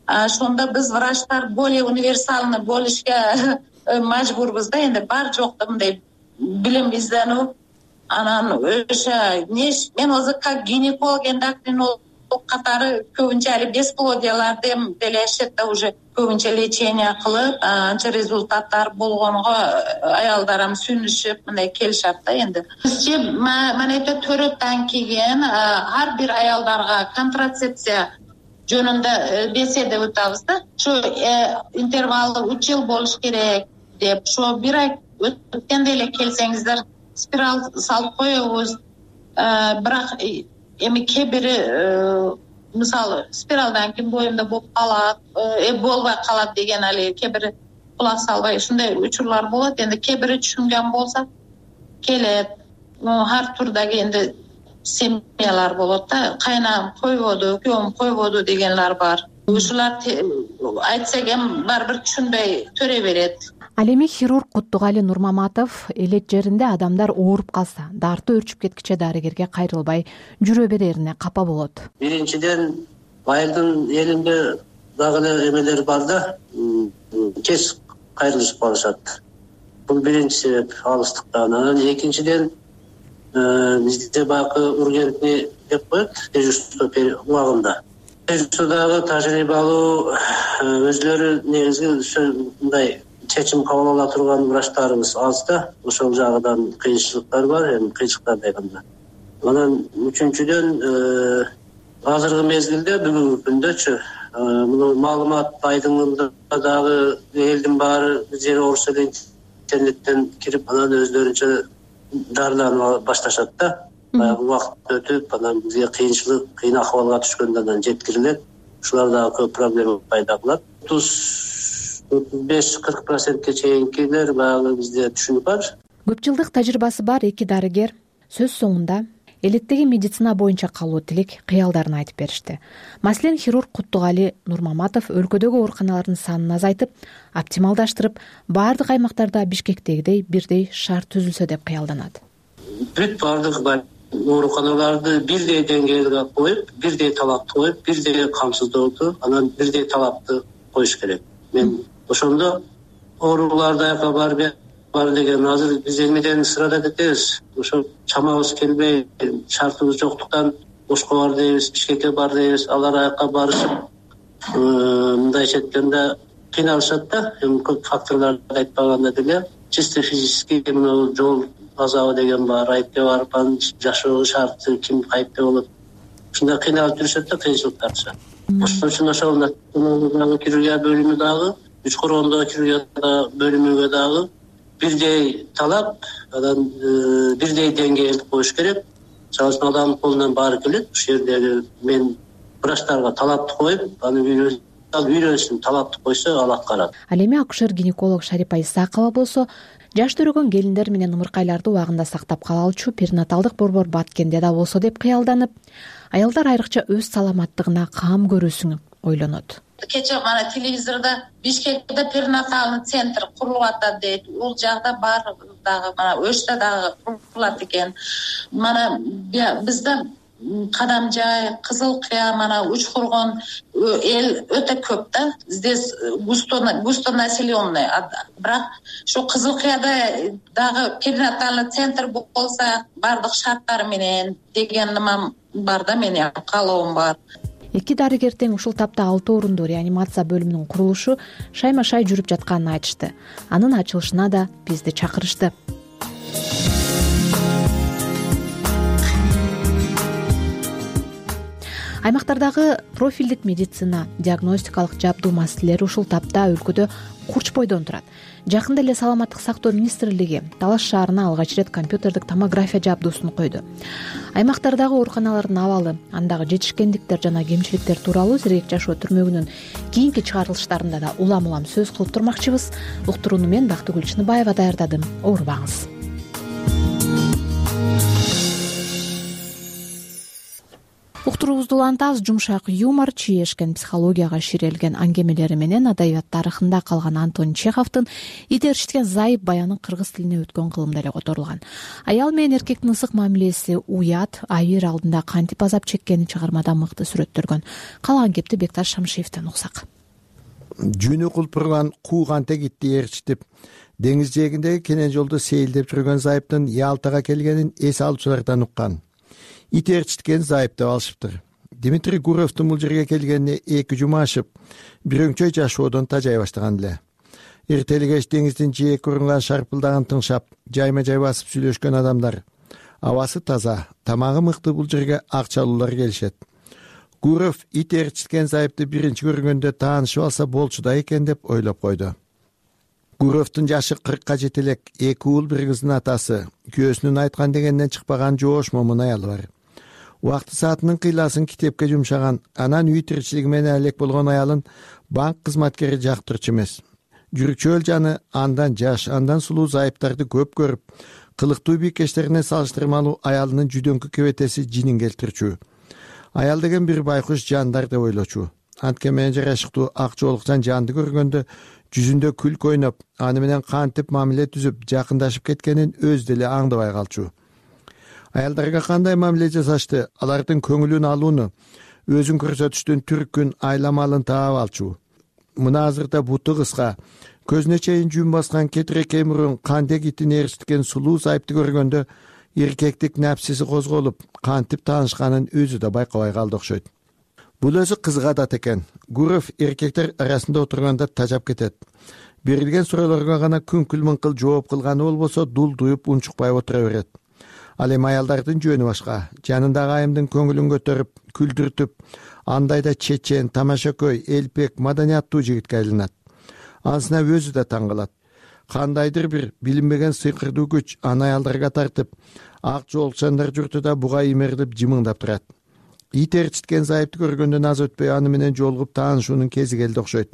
Ошондо биз врачтар более универсальный болушка мажбурбуз да, энди бар жокто мындай билим издануу. Анан өшө мен өзү как гинеколог, эндокринолог катары көбүнчө али бесплодияларды делешет да, уже көбүнчө лечение кылып, анча результаттар болгонго аялдарым сүнүшүп мындай келишат да. Энди бизче манайда төрөттөн кийин ар бир аялдарга контрацепция жөнүндө беседа өтөбүз да. Ошо интервалы 3 жыл болуш керек деп, ошо бир ай өткөндө эле келсеңиздер спираль салып коебуз. Бирок эми кээ бири мисалы спиралдан кийин боюмда болуп калат, болбой калат деген али кээ бири кулак салбай ушундай учурлар болот. Энди кээ бири түшүнгөн болсо келет. Ар турдагы энди семьялар болот да. Кайнам койбоду, күйөөм койбоду дегенлер бар. Ушулар айтсак эми барбир түшүнбөй төрө берет. Ал эми хирург Куттугали Нурмаматов элет жеринде адамдар ооруп калса, дарты өрчүп кеткиче дарыгерге кайрылбай жүрө берерине капа болот. Биринчиден айылдын элинде дагы эле эмелер бар да, тез кайрылышып калышат. Бул биринчи себеп алыстыктан. Анан экинчиден бизде баягы ургентни деп коет, дежурство убагында. Дежурстводагы тажрыйбалуу өзлөрү негизги мындай чечим кабыл ала турган врачтарыбыз аз да. Ошол жагынан кыйынчылыктар бар, эми кыйынчылыктар дегенде. Анан үчүнчүдөн азыркы мезгилде бүгүнкү күндөчү муну маалымат айдыңында дагы элдин баары жер оорусу эле интернеттен кирип, анан өздөрүнчө дарыланып башташат да. Баягы убакыт өтүп, анан бизге кыйынчылык, кыйын акыбалга түшкөндө анан жеткирилет. Ушулар дагы көп проблема пайда кылат. 35-40%ке чейинкилер баягы бизде түшүнүк бар. Көп жылдык тажрыйбасы бар эки дарыгер сөз соңунда элеттеги медицина боюнча калуу тилек кыялдарын айтып беришти. Маселен, хирург Куттугали Нурмаматов өлкөдөгү ооруканалардын санын азайтып, оптималдаштырып, баардык аймактарда Бишкектегидей бирдей шарт түзүлсө деп кыялданат. Бүт баардык ооруканаларды бирдей деңгээлге коюп, бирдей талапты коюп, бирдей камсыздоодо, анан бирдей талапты коюш керек. Мен ошондо ооруларды аяка бар деген азыр биз эмеден сырада кетебиз. Ошо чамабыз келбей, шартыбыз жоктуктан Ошко бар дейбиз, Бишкекке бар дейбиз, алар аяка барышып мындайча айтканда кыйналышат да. Эми көп факторлорду айтпаганда деле чисто физически мына жол азабы деген бар, айыпке барып анын жашоо шарты, ким кайыпта болот. Ушундай кыйналып жүрүшөт да, кыйынчылыктар түшөт. Ошон үчүн ошол хирургия бөлүмү дагы, Үч Коргондогу хирургия бөлүмүгө дагы бирдей талап, анан бирдей деңгээлди коюш керек. Чалсын адамдын колунан баары келет. Ушул жердеги мен врачтарга талапты коюп, аны үйрөнсүн, талапты койсо ал аткарат. Ал эми акушер-гинеколог Шарипа Исакова болсо, жаш төрөгөн келиндер менен ымыркайларды убагында сактап кала алчу перинаталдык борбор Баткенде да болсо деп кыялданып, аялдар айрыкча өз саламаттыгына каам көрүүсүн ойлонот. Кече мана телевизордо Бишкекте перинатальный центр курулуп атат дейт. Бул жакта бар дагы мана Өчтө дагы курулат экен. Мана бизде Кадамжай, Кызыл Кыя, мана Учкургон эл өтө көп да. Здесь густо населенный. Бирок ошо Кызыл Кыяда дагы перинатальный центр болсо бардык шарттары менен деген нема бар да, менин каалоом бар. Эки дарыгер тең ушул тапта 6 орундуу реанимация бөлүмүнүн курулушу шайма-шай жүрүп жатканын айтышты. Анын ачылышына да бизди чакырышты. Аймактардагы профилдик медицина, диагностикалык жабдуу маселелери ушул тапта өлкөдө курч бойдон турат. Жакында эле Саламаттык сактоо министрлиги Талаш шаарына алгач ирет компьютердик томография жабдуусун койду. Аймактардагы ооруканалардын абалы, андагы жетишкендиктер жана кемчиликтер тууралуу Сергек жашоо түрмөгүнүн кийинки чыгарылыштарында да улам сөз кылып турмакчыбыз. Уктурууну мен Бактыгүл Чыныбаева даярдадым. Оорубаңыз. Уктуруубузду улантабыз. Жумшак юмор, чиешкен психологияга ширелген аңгемелери менен адабият тарыхында калган Антон Чеховдун итерчиткен зайып баянын кыргыз тилине өткөн кылымда эле которулган. Аял менен эркектин ысык мамилеси, уят, айыр алдында кантип азап чеккенин чыгармада мыкты сүрөттөлгөн. Калаган кепти Бекташ Шамшиевден уксак. Жүнү кулпурган кууганте гитти ээрчитип, деңиз жээгиндеги кенен жолдо сейилдеп жүргөн зайыптын Ялтага келгенин эс алуучулардан уккан. Ит ээрчиткен зайып деп алышыптыр. Дмитрий Гуровдун бул жерге келгенине 2 жума ашып, бир өңчөй жашоодон тажай баштаган эле. Эртели кеч деңиздин жээк урунган шарпылдаган тыңшап, жайма-жай басып сүйлөшкөн адамдар. Абасы таза, тамагы мыкты бул жерге акчалуулар келишет. Гуров ит ээрчиткен зайыпты биринчи көргөндө таанышып алса болчу да экен деп ойлоп койду. Гуровдун жашы 40ка жете элек, 2 уул бир кыздын атасы, күйөөсүнүн айткан дегенден чыкпаган жоош момун аялы бар. Убакты саатынын кыйласын китепке жумшаган, анан үй тиричилиги менен элек болгон аялын банк кызматкери жактырчу эмес. Жүрүкчөөл жаны андан жаш, андан сулуу зайыптарды көп көрүп, кылыктуу бийкештерине салыштырмалуу аялынын жүдөңкү кебетеси жинин келтирчү. Аял деген бир байкуш жандар деп ойлочу. Анткен менен жарашыктуу ак жоолукчан жанды көргөндө жүзүндө күлкү ойноп, аны менен кантип мамиле түзүп, жакындашып кеткенин өз деле аңдабай калчу. Аялдарга кандай мамиле жасашты, алардын көңүлүн алууну, өзүн көрсөтүштүн түркүн, айламалын таап алчу. Мына азырда буту кыска, көзүнө чейин жүн баскан кетирекей мурун кандек итин ээрчиткен сулуу зайыпты көргөндө эркектик напсиси козголуп, кантип таанышканын өзү да байкабай калды окшойт. Бул өзү кызык адат экен. Гуров эркектер арасында отурганда тажап кетет. Берилген суроолорго гана күңкүл-мыңкыл жооп кылганы болбосо дулдуюп унчукпай отура берет. Ал эми аялдардын жөнү башка. Жанындагы айымдын көңүлүн көтөрүп, күлдүртүп, андайда чечен, тамашакөй, элпек, маданияттуу жигитке айланат. Анысына өзү да таң калат. Кандайдыр бир билинбеген сыйкырдуу күч аны аялдарга тартып, ак жоолукчандар журтуда буга имерилип жымыңдап турат. Ит ээрчиткен зайыпты көргөндөн аз өтпөй аны менен жолугуп таанышуунун кези келди окшойт.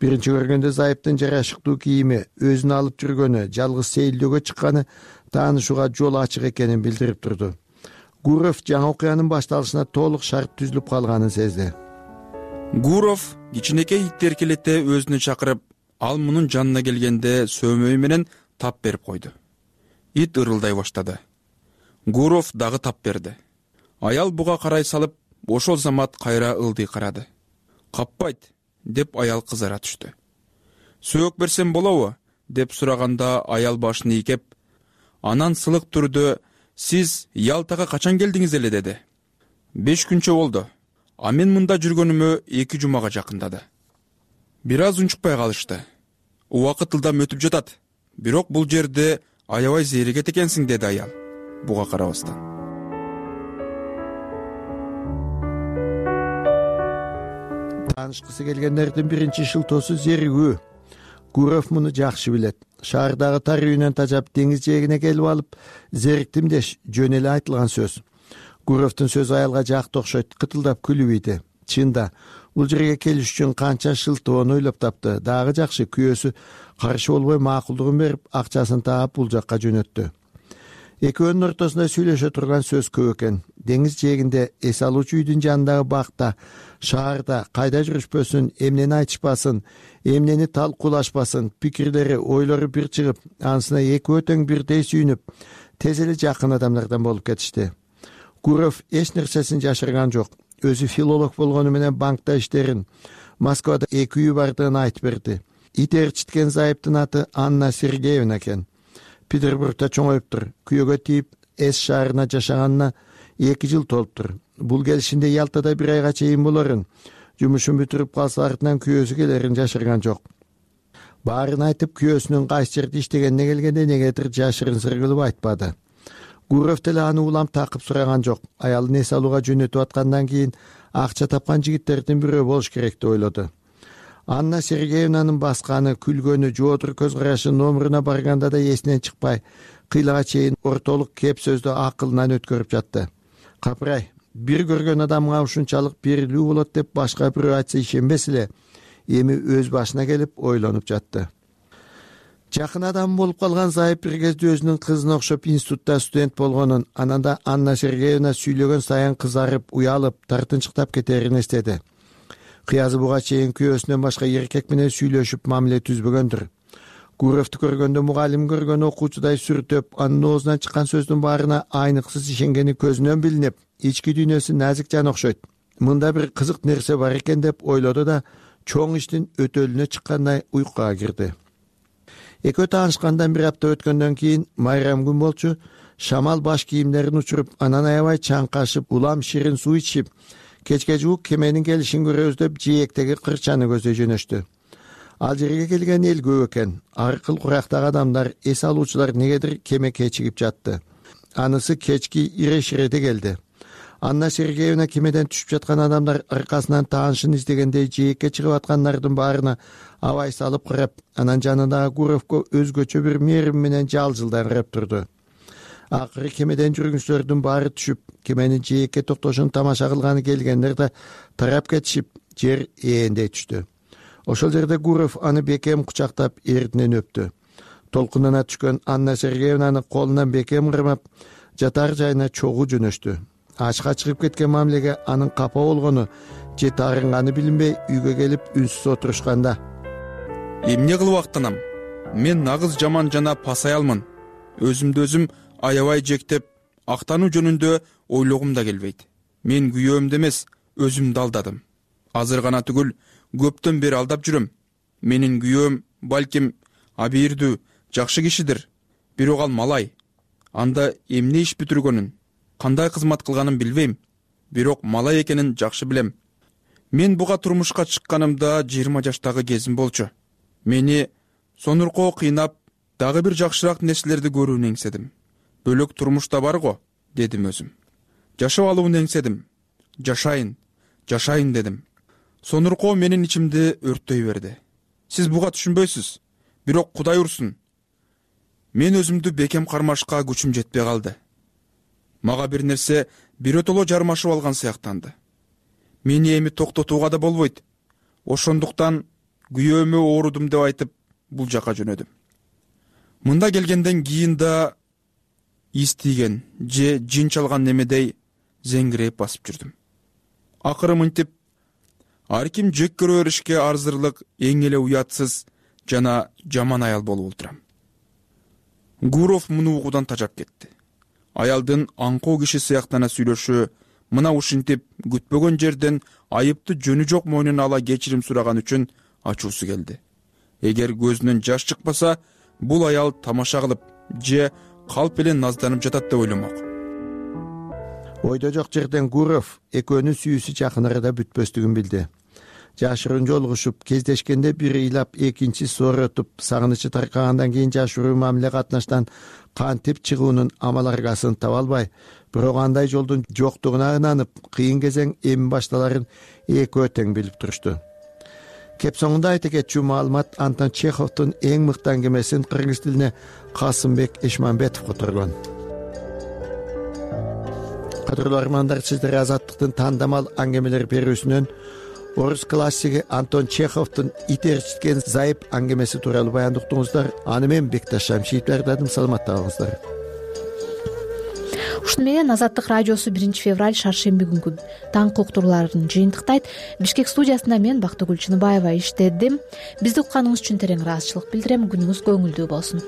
Биринчи көргөндө зайыптын жарашыктуу кийими, өзүн алып жүргөнү, жалгыз сейилдөөгө чыкканы таанышууга жол ачык экенин билдирип турду. Гуров жаңы окуянын башталышына толук шарт түзүлүп калганын сезди. Гуров кичинекей итти эркелете өзүнө чакырып, ал мунун жанына келгенде сөөмөй менен тап берип койду. Ит ырылдай баштады. Гуров дагы тап берди. Аял буга карай салып, ошол замат кайра ылдый карады. Каппайт, деп аял кызара түштү. Сөөк берсем болобу? Деп сураганда аял башын ийкеп, анан сылык түрдө сиз Ялтага качан келдиңиз эле деди. 5 күнчө болду. А мен мында жүргөнүмө 2 жумага жакындады. Бир аз унчукпай калышты. Убакыт ылдам өтүп жатат. Бирок бул жерде аябай зеригет экенсиң деди аял. Буга карабастан. Таанышкысы келгендердин биринчи шылтоосу зеригүү. Гуров муну жакшы билет. Шаардагы тар үйүнөн тажап деңиз жээгине келип алып, зериктим деш жөн эле айтылган сөз. Гуровдун сөзү аялга жакты окшойт, кытылдап күлүп ийди. Чында, бул жерге келиш үчүн канча шылтоону ойлоп тапты. Дагы жакшы, күйөөсү каршы болбой макулдугун берип, акчасын таап бул жакка жөнөттү. Экөөнүн ортосунда сүйлөшө турган сөз көп экен. Деңиз жээгинде, эс алуучу үйдүн жанындагы бакта, шаарда кайда жүрүшпөсүн, эмнени айтышпасын, эмнени талкуулашпасын, пикирлери, ойлору бир чыгып, анысына экөө тең бирдей сүйүнүп, тез эле жакын адамдардан болуп кетишти. Гуров эч нерсесин жашырган жок. Өзү филолог болгону менен банкта иштерин, Москвада 2 үйү бардыгын айтып берди. Ит ээрчиткен зайыптын аты Анна Сергеевна экен. Петербургда чоңоюптур. Күйөөгө тийип, Эс шаарына жашаганына 2 жыл толуптур. Бул келишинде Ялтада 1 айга чейин болорун, жумушун бүтүрүп калса артынан күйөөсү келерин жашырган жок. Баарын айтып, күйөөсүнүн кайсы жерде иштегенине келгенде негедир жашырын сыр кылып айтпады. Гуров деле аны улам такып сураган жок. Аялын эс алууга жөнөтүп аткандан кийин акча тапкан жигиттердин бирөө болуш керек деп ойлоду. Анна Сергеевнанын басканы, күлгөнү, жоодур көз карашы номуруна барганда да эсинен чыкпай, кыйлага чейин ортолук кеп сөздү акылынан өткөрүп жатты. Капырай, бир көргөн адамга ушунчалык берилүү болот деп башка бирөө айтса ишенбес эле, эми өз башына келип ойлонуп жатты. Жакын адам болуп калган зайып бир кезде өзүнүн кызына окшоп институтта студент болгонун, анан да Анна Сергеевна сүйлөгөн сайын кызарып, уялып, тартынчыктап кетерин эстеди. Кыязы буга чейин күйөөсүнөн башка эркек менен сүйлөшүп мамиле түзбөгөндүр. Гуровду көргөндө мугалим көргөн окуучудай сүртөп, анын оозунан чыккан сөздүн баарына айныксыз ишенгени көзүнөн билинип, ички дүйнөсү назик жан окшойт. Мында бир кызык нерсе бар экен деп ойлоду да, чоң иштин өтөлүнө чыккандай уйкуга кирди. Экөө таанышкандан 1 апта өткөндөн кийин майрам күн болчу, шамал баш кийимдерин учуруп, анан аябай чаңкашып, улам ширин суу ичип, кечке жуук кеменин келишин көрөбүз деп жээктеги кырчаны көздөй жөнөштү. Ал жерге келген эл көп экен. Аркыл курактагы адамдар, эс алуучулар негедир кеме кечигип жатты. Анысы кечки иреширеде келди. Анна Сергеевна кемеден түшүп жаткан адамдар аркасынан таанышын издегендей жээкке чыгып аткандардын баарына абай салып карап, анан жанындагы Гуровго өзгөчө бир мээрим менен жалжылдан карап турду. Акыры кемеден жүргүнчүлөрдүн баары түшүп, кеменин жээкке токтошун тамаша кылганы келгендер да тарап кетишип, жер ээндей түштү. Ошол жерде Гуров аны бекем кучактап, эрдинен өптү. Толкунуна түшкөн Анна Сергеевнаны колунан бекем кырмап, жатар жайына чогуу жөнөштү. Ачка чыгып кеткен мамилеге анын капа болгону же таарынганы билинбей үйгө келип үнсүз отурушканда: эмне кылып актанам? Мен нагыз жаман жана пасаялмын. Өзүмдү өзүм аябай жектеп, актануу жөнүндө ойлогум да келбейт. Мен күйөөмдү эмес, өзүмдү алдадым. Азыр гана түгүл, көптөн бери алдап жүрөм. Менин күйөөм балким абийирдүү, жакшы кишидир. Бирок ал малай. Анда эмне иш бүтүргөнүн, кандай кызмат кылганын билбейм. Бирок малай экенин жакшы билем. Мен буга турмушка чыкканымда 20 жаштагы кезим болчу. Мени сонуркоо кыйнап, дагы бир жакшыраак нерселерди көрүүнү эңседим. Бөлөк турмушта бар го, дедим өзүм. Жашап алууну эңседим. Жашайын дедим. Сонуркоо менин ичимди өрттөй берди. Сиз буга түшүнбөйсүз. Бирок Кудай урсун. Мен өзүмдү бекем кармашка күчүм жетпей калды. Мага бир нерсе бирөтөлө жармашып алган сыяктанды. Мени эми токтотууга да болбойт. Ошондуктан күйөөмө оорудум деп айтып, бул жака жөнөдүм. Мында келгенден кийин да из тийген же жин чалган немедей зеңгиреп басып жүрдүм. Акыры мынтип ар ким жек көрө беришке арзырлык эң эле уятсыз жана жаман аял болуп отурам. Гуров муну угуудан тажап кетти. Аялдын аңкоо киши сыяктана сүйлөшү, мына ушинтип күтпөгөн жерден айыпты жөнү жок мойнуна ала кечирим сураган үчүн ачуусу келди. Эгер көзүнөн жаш чыкпаса, бул аял тамаша кылып же калп эле назданып жатат деп ойломок. Ойдо жок жерден Гуров экөөнүн сүйүүсү жакын арада бүтпөстүгүн билди. Жашырын жолугушуп, кездешкенде бири ыйлап, экинчи сооротуп, сагынычы таркагандан кийин жашыруу мамиле катнаштан кантип чыгуунун амал аргасын таба албай, бирок андай жолдун жоктугуна ынанып, кыйын кезең эми башталарын экөө тең билип турушту. Кеп соңунда айта кетчү маалымат Антон Чеховдун эң мыкты аңгемесин кыргыз тилине Касымбек Эшманбетов которгон. Кадырлуу армандар, сиздер Азаттыктын тандамал аңгемелер берүүсүнөн орус классиги Антон Чеховдун ит ээрчиткен зайып аңгемеси тууралуу баяндыктыңыздар. Аны мен Бекташ Шамшиев даярдадым. Саламатта болуңуздар. ушуну менен Азаттык радиосу 1 февраль шаршемби күнгү таңкы уктурууларын жыйынтыктайт. Бишкек студиясында мен Бактыгүл Чыныбаева иштедим. Бизди укканыңыз үчүн терең ыраазычылык билдирем. Күнүңүз көңүлдүү болсун.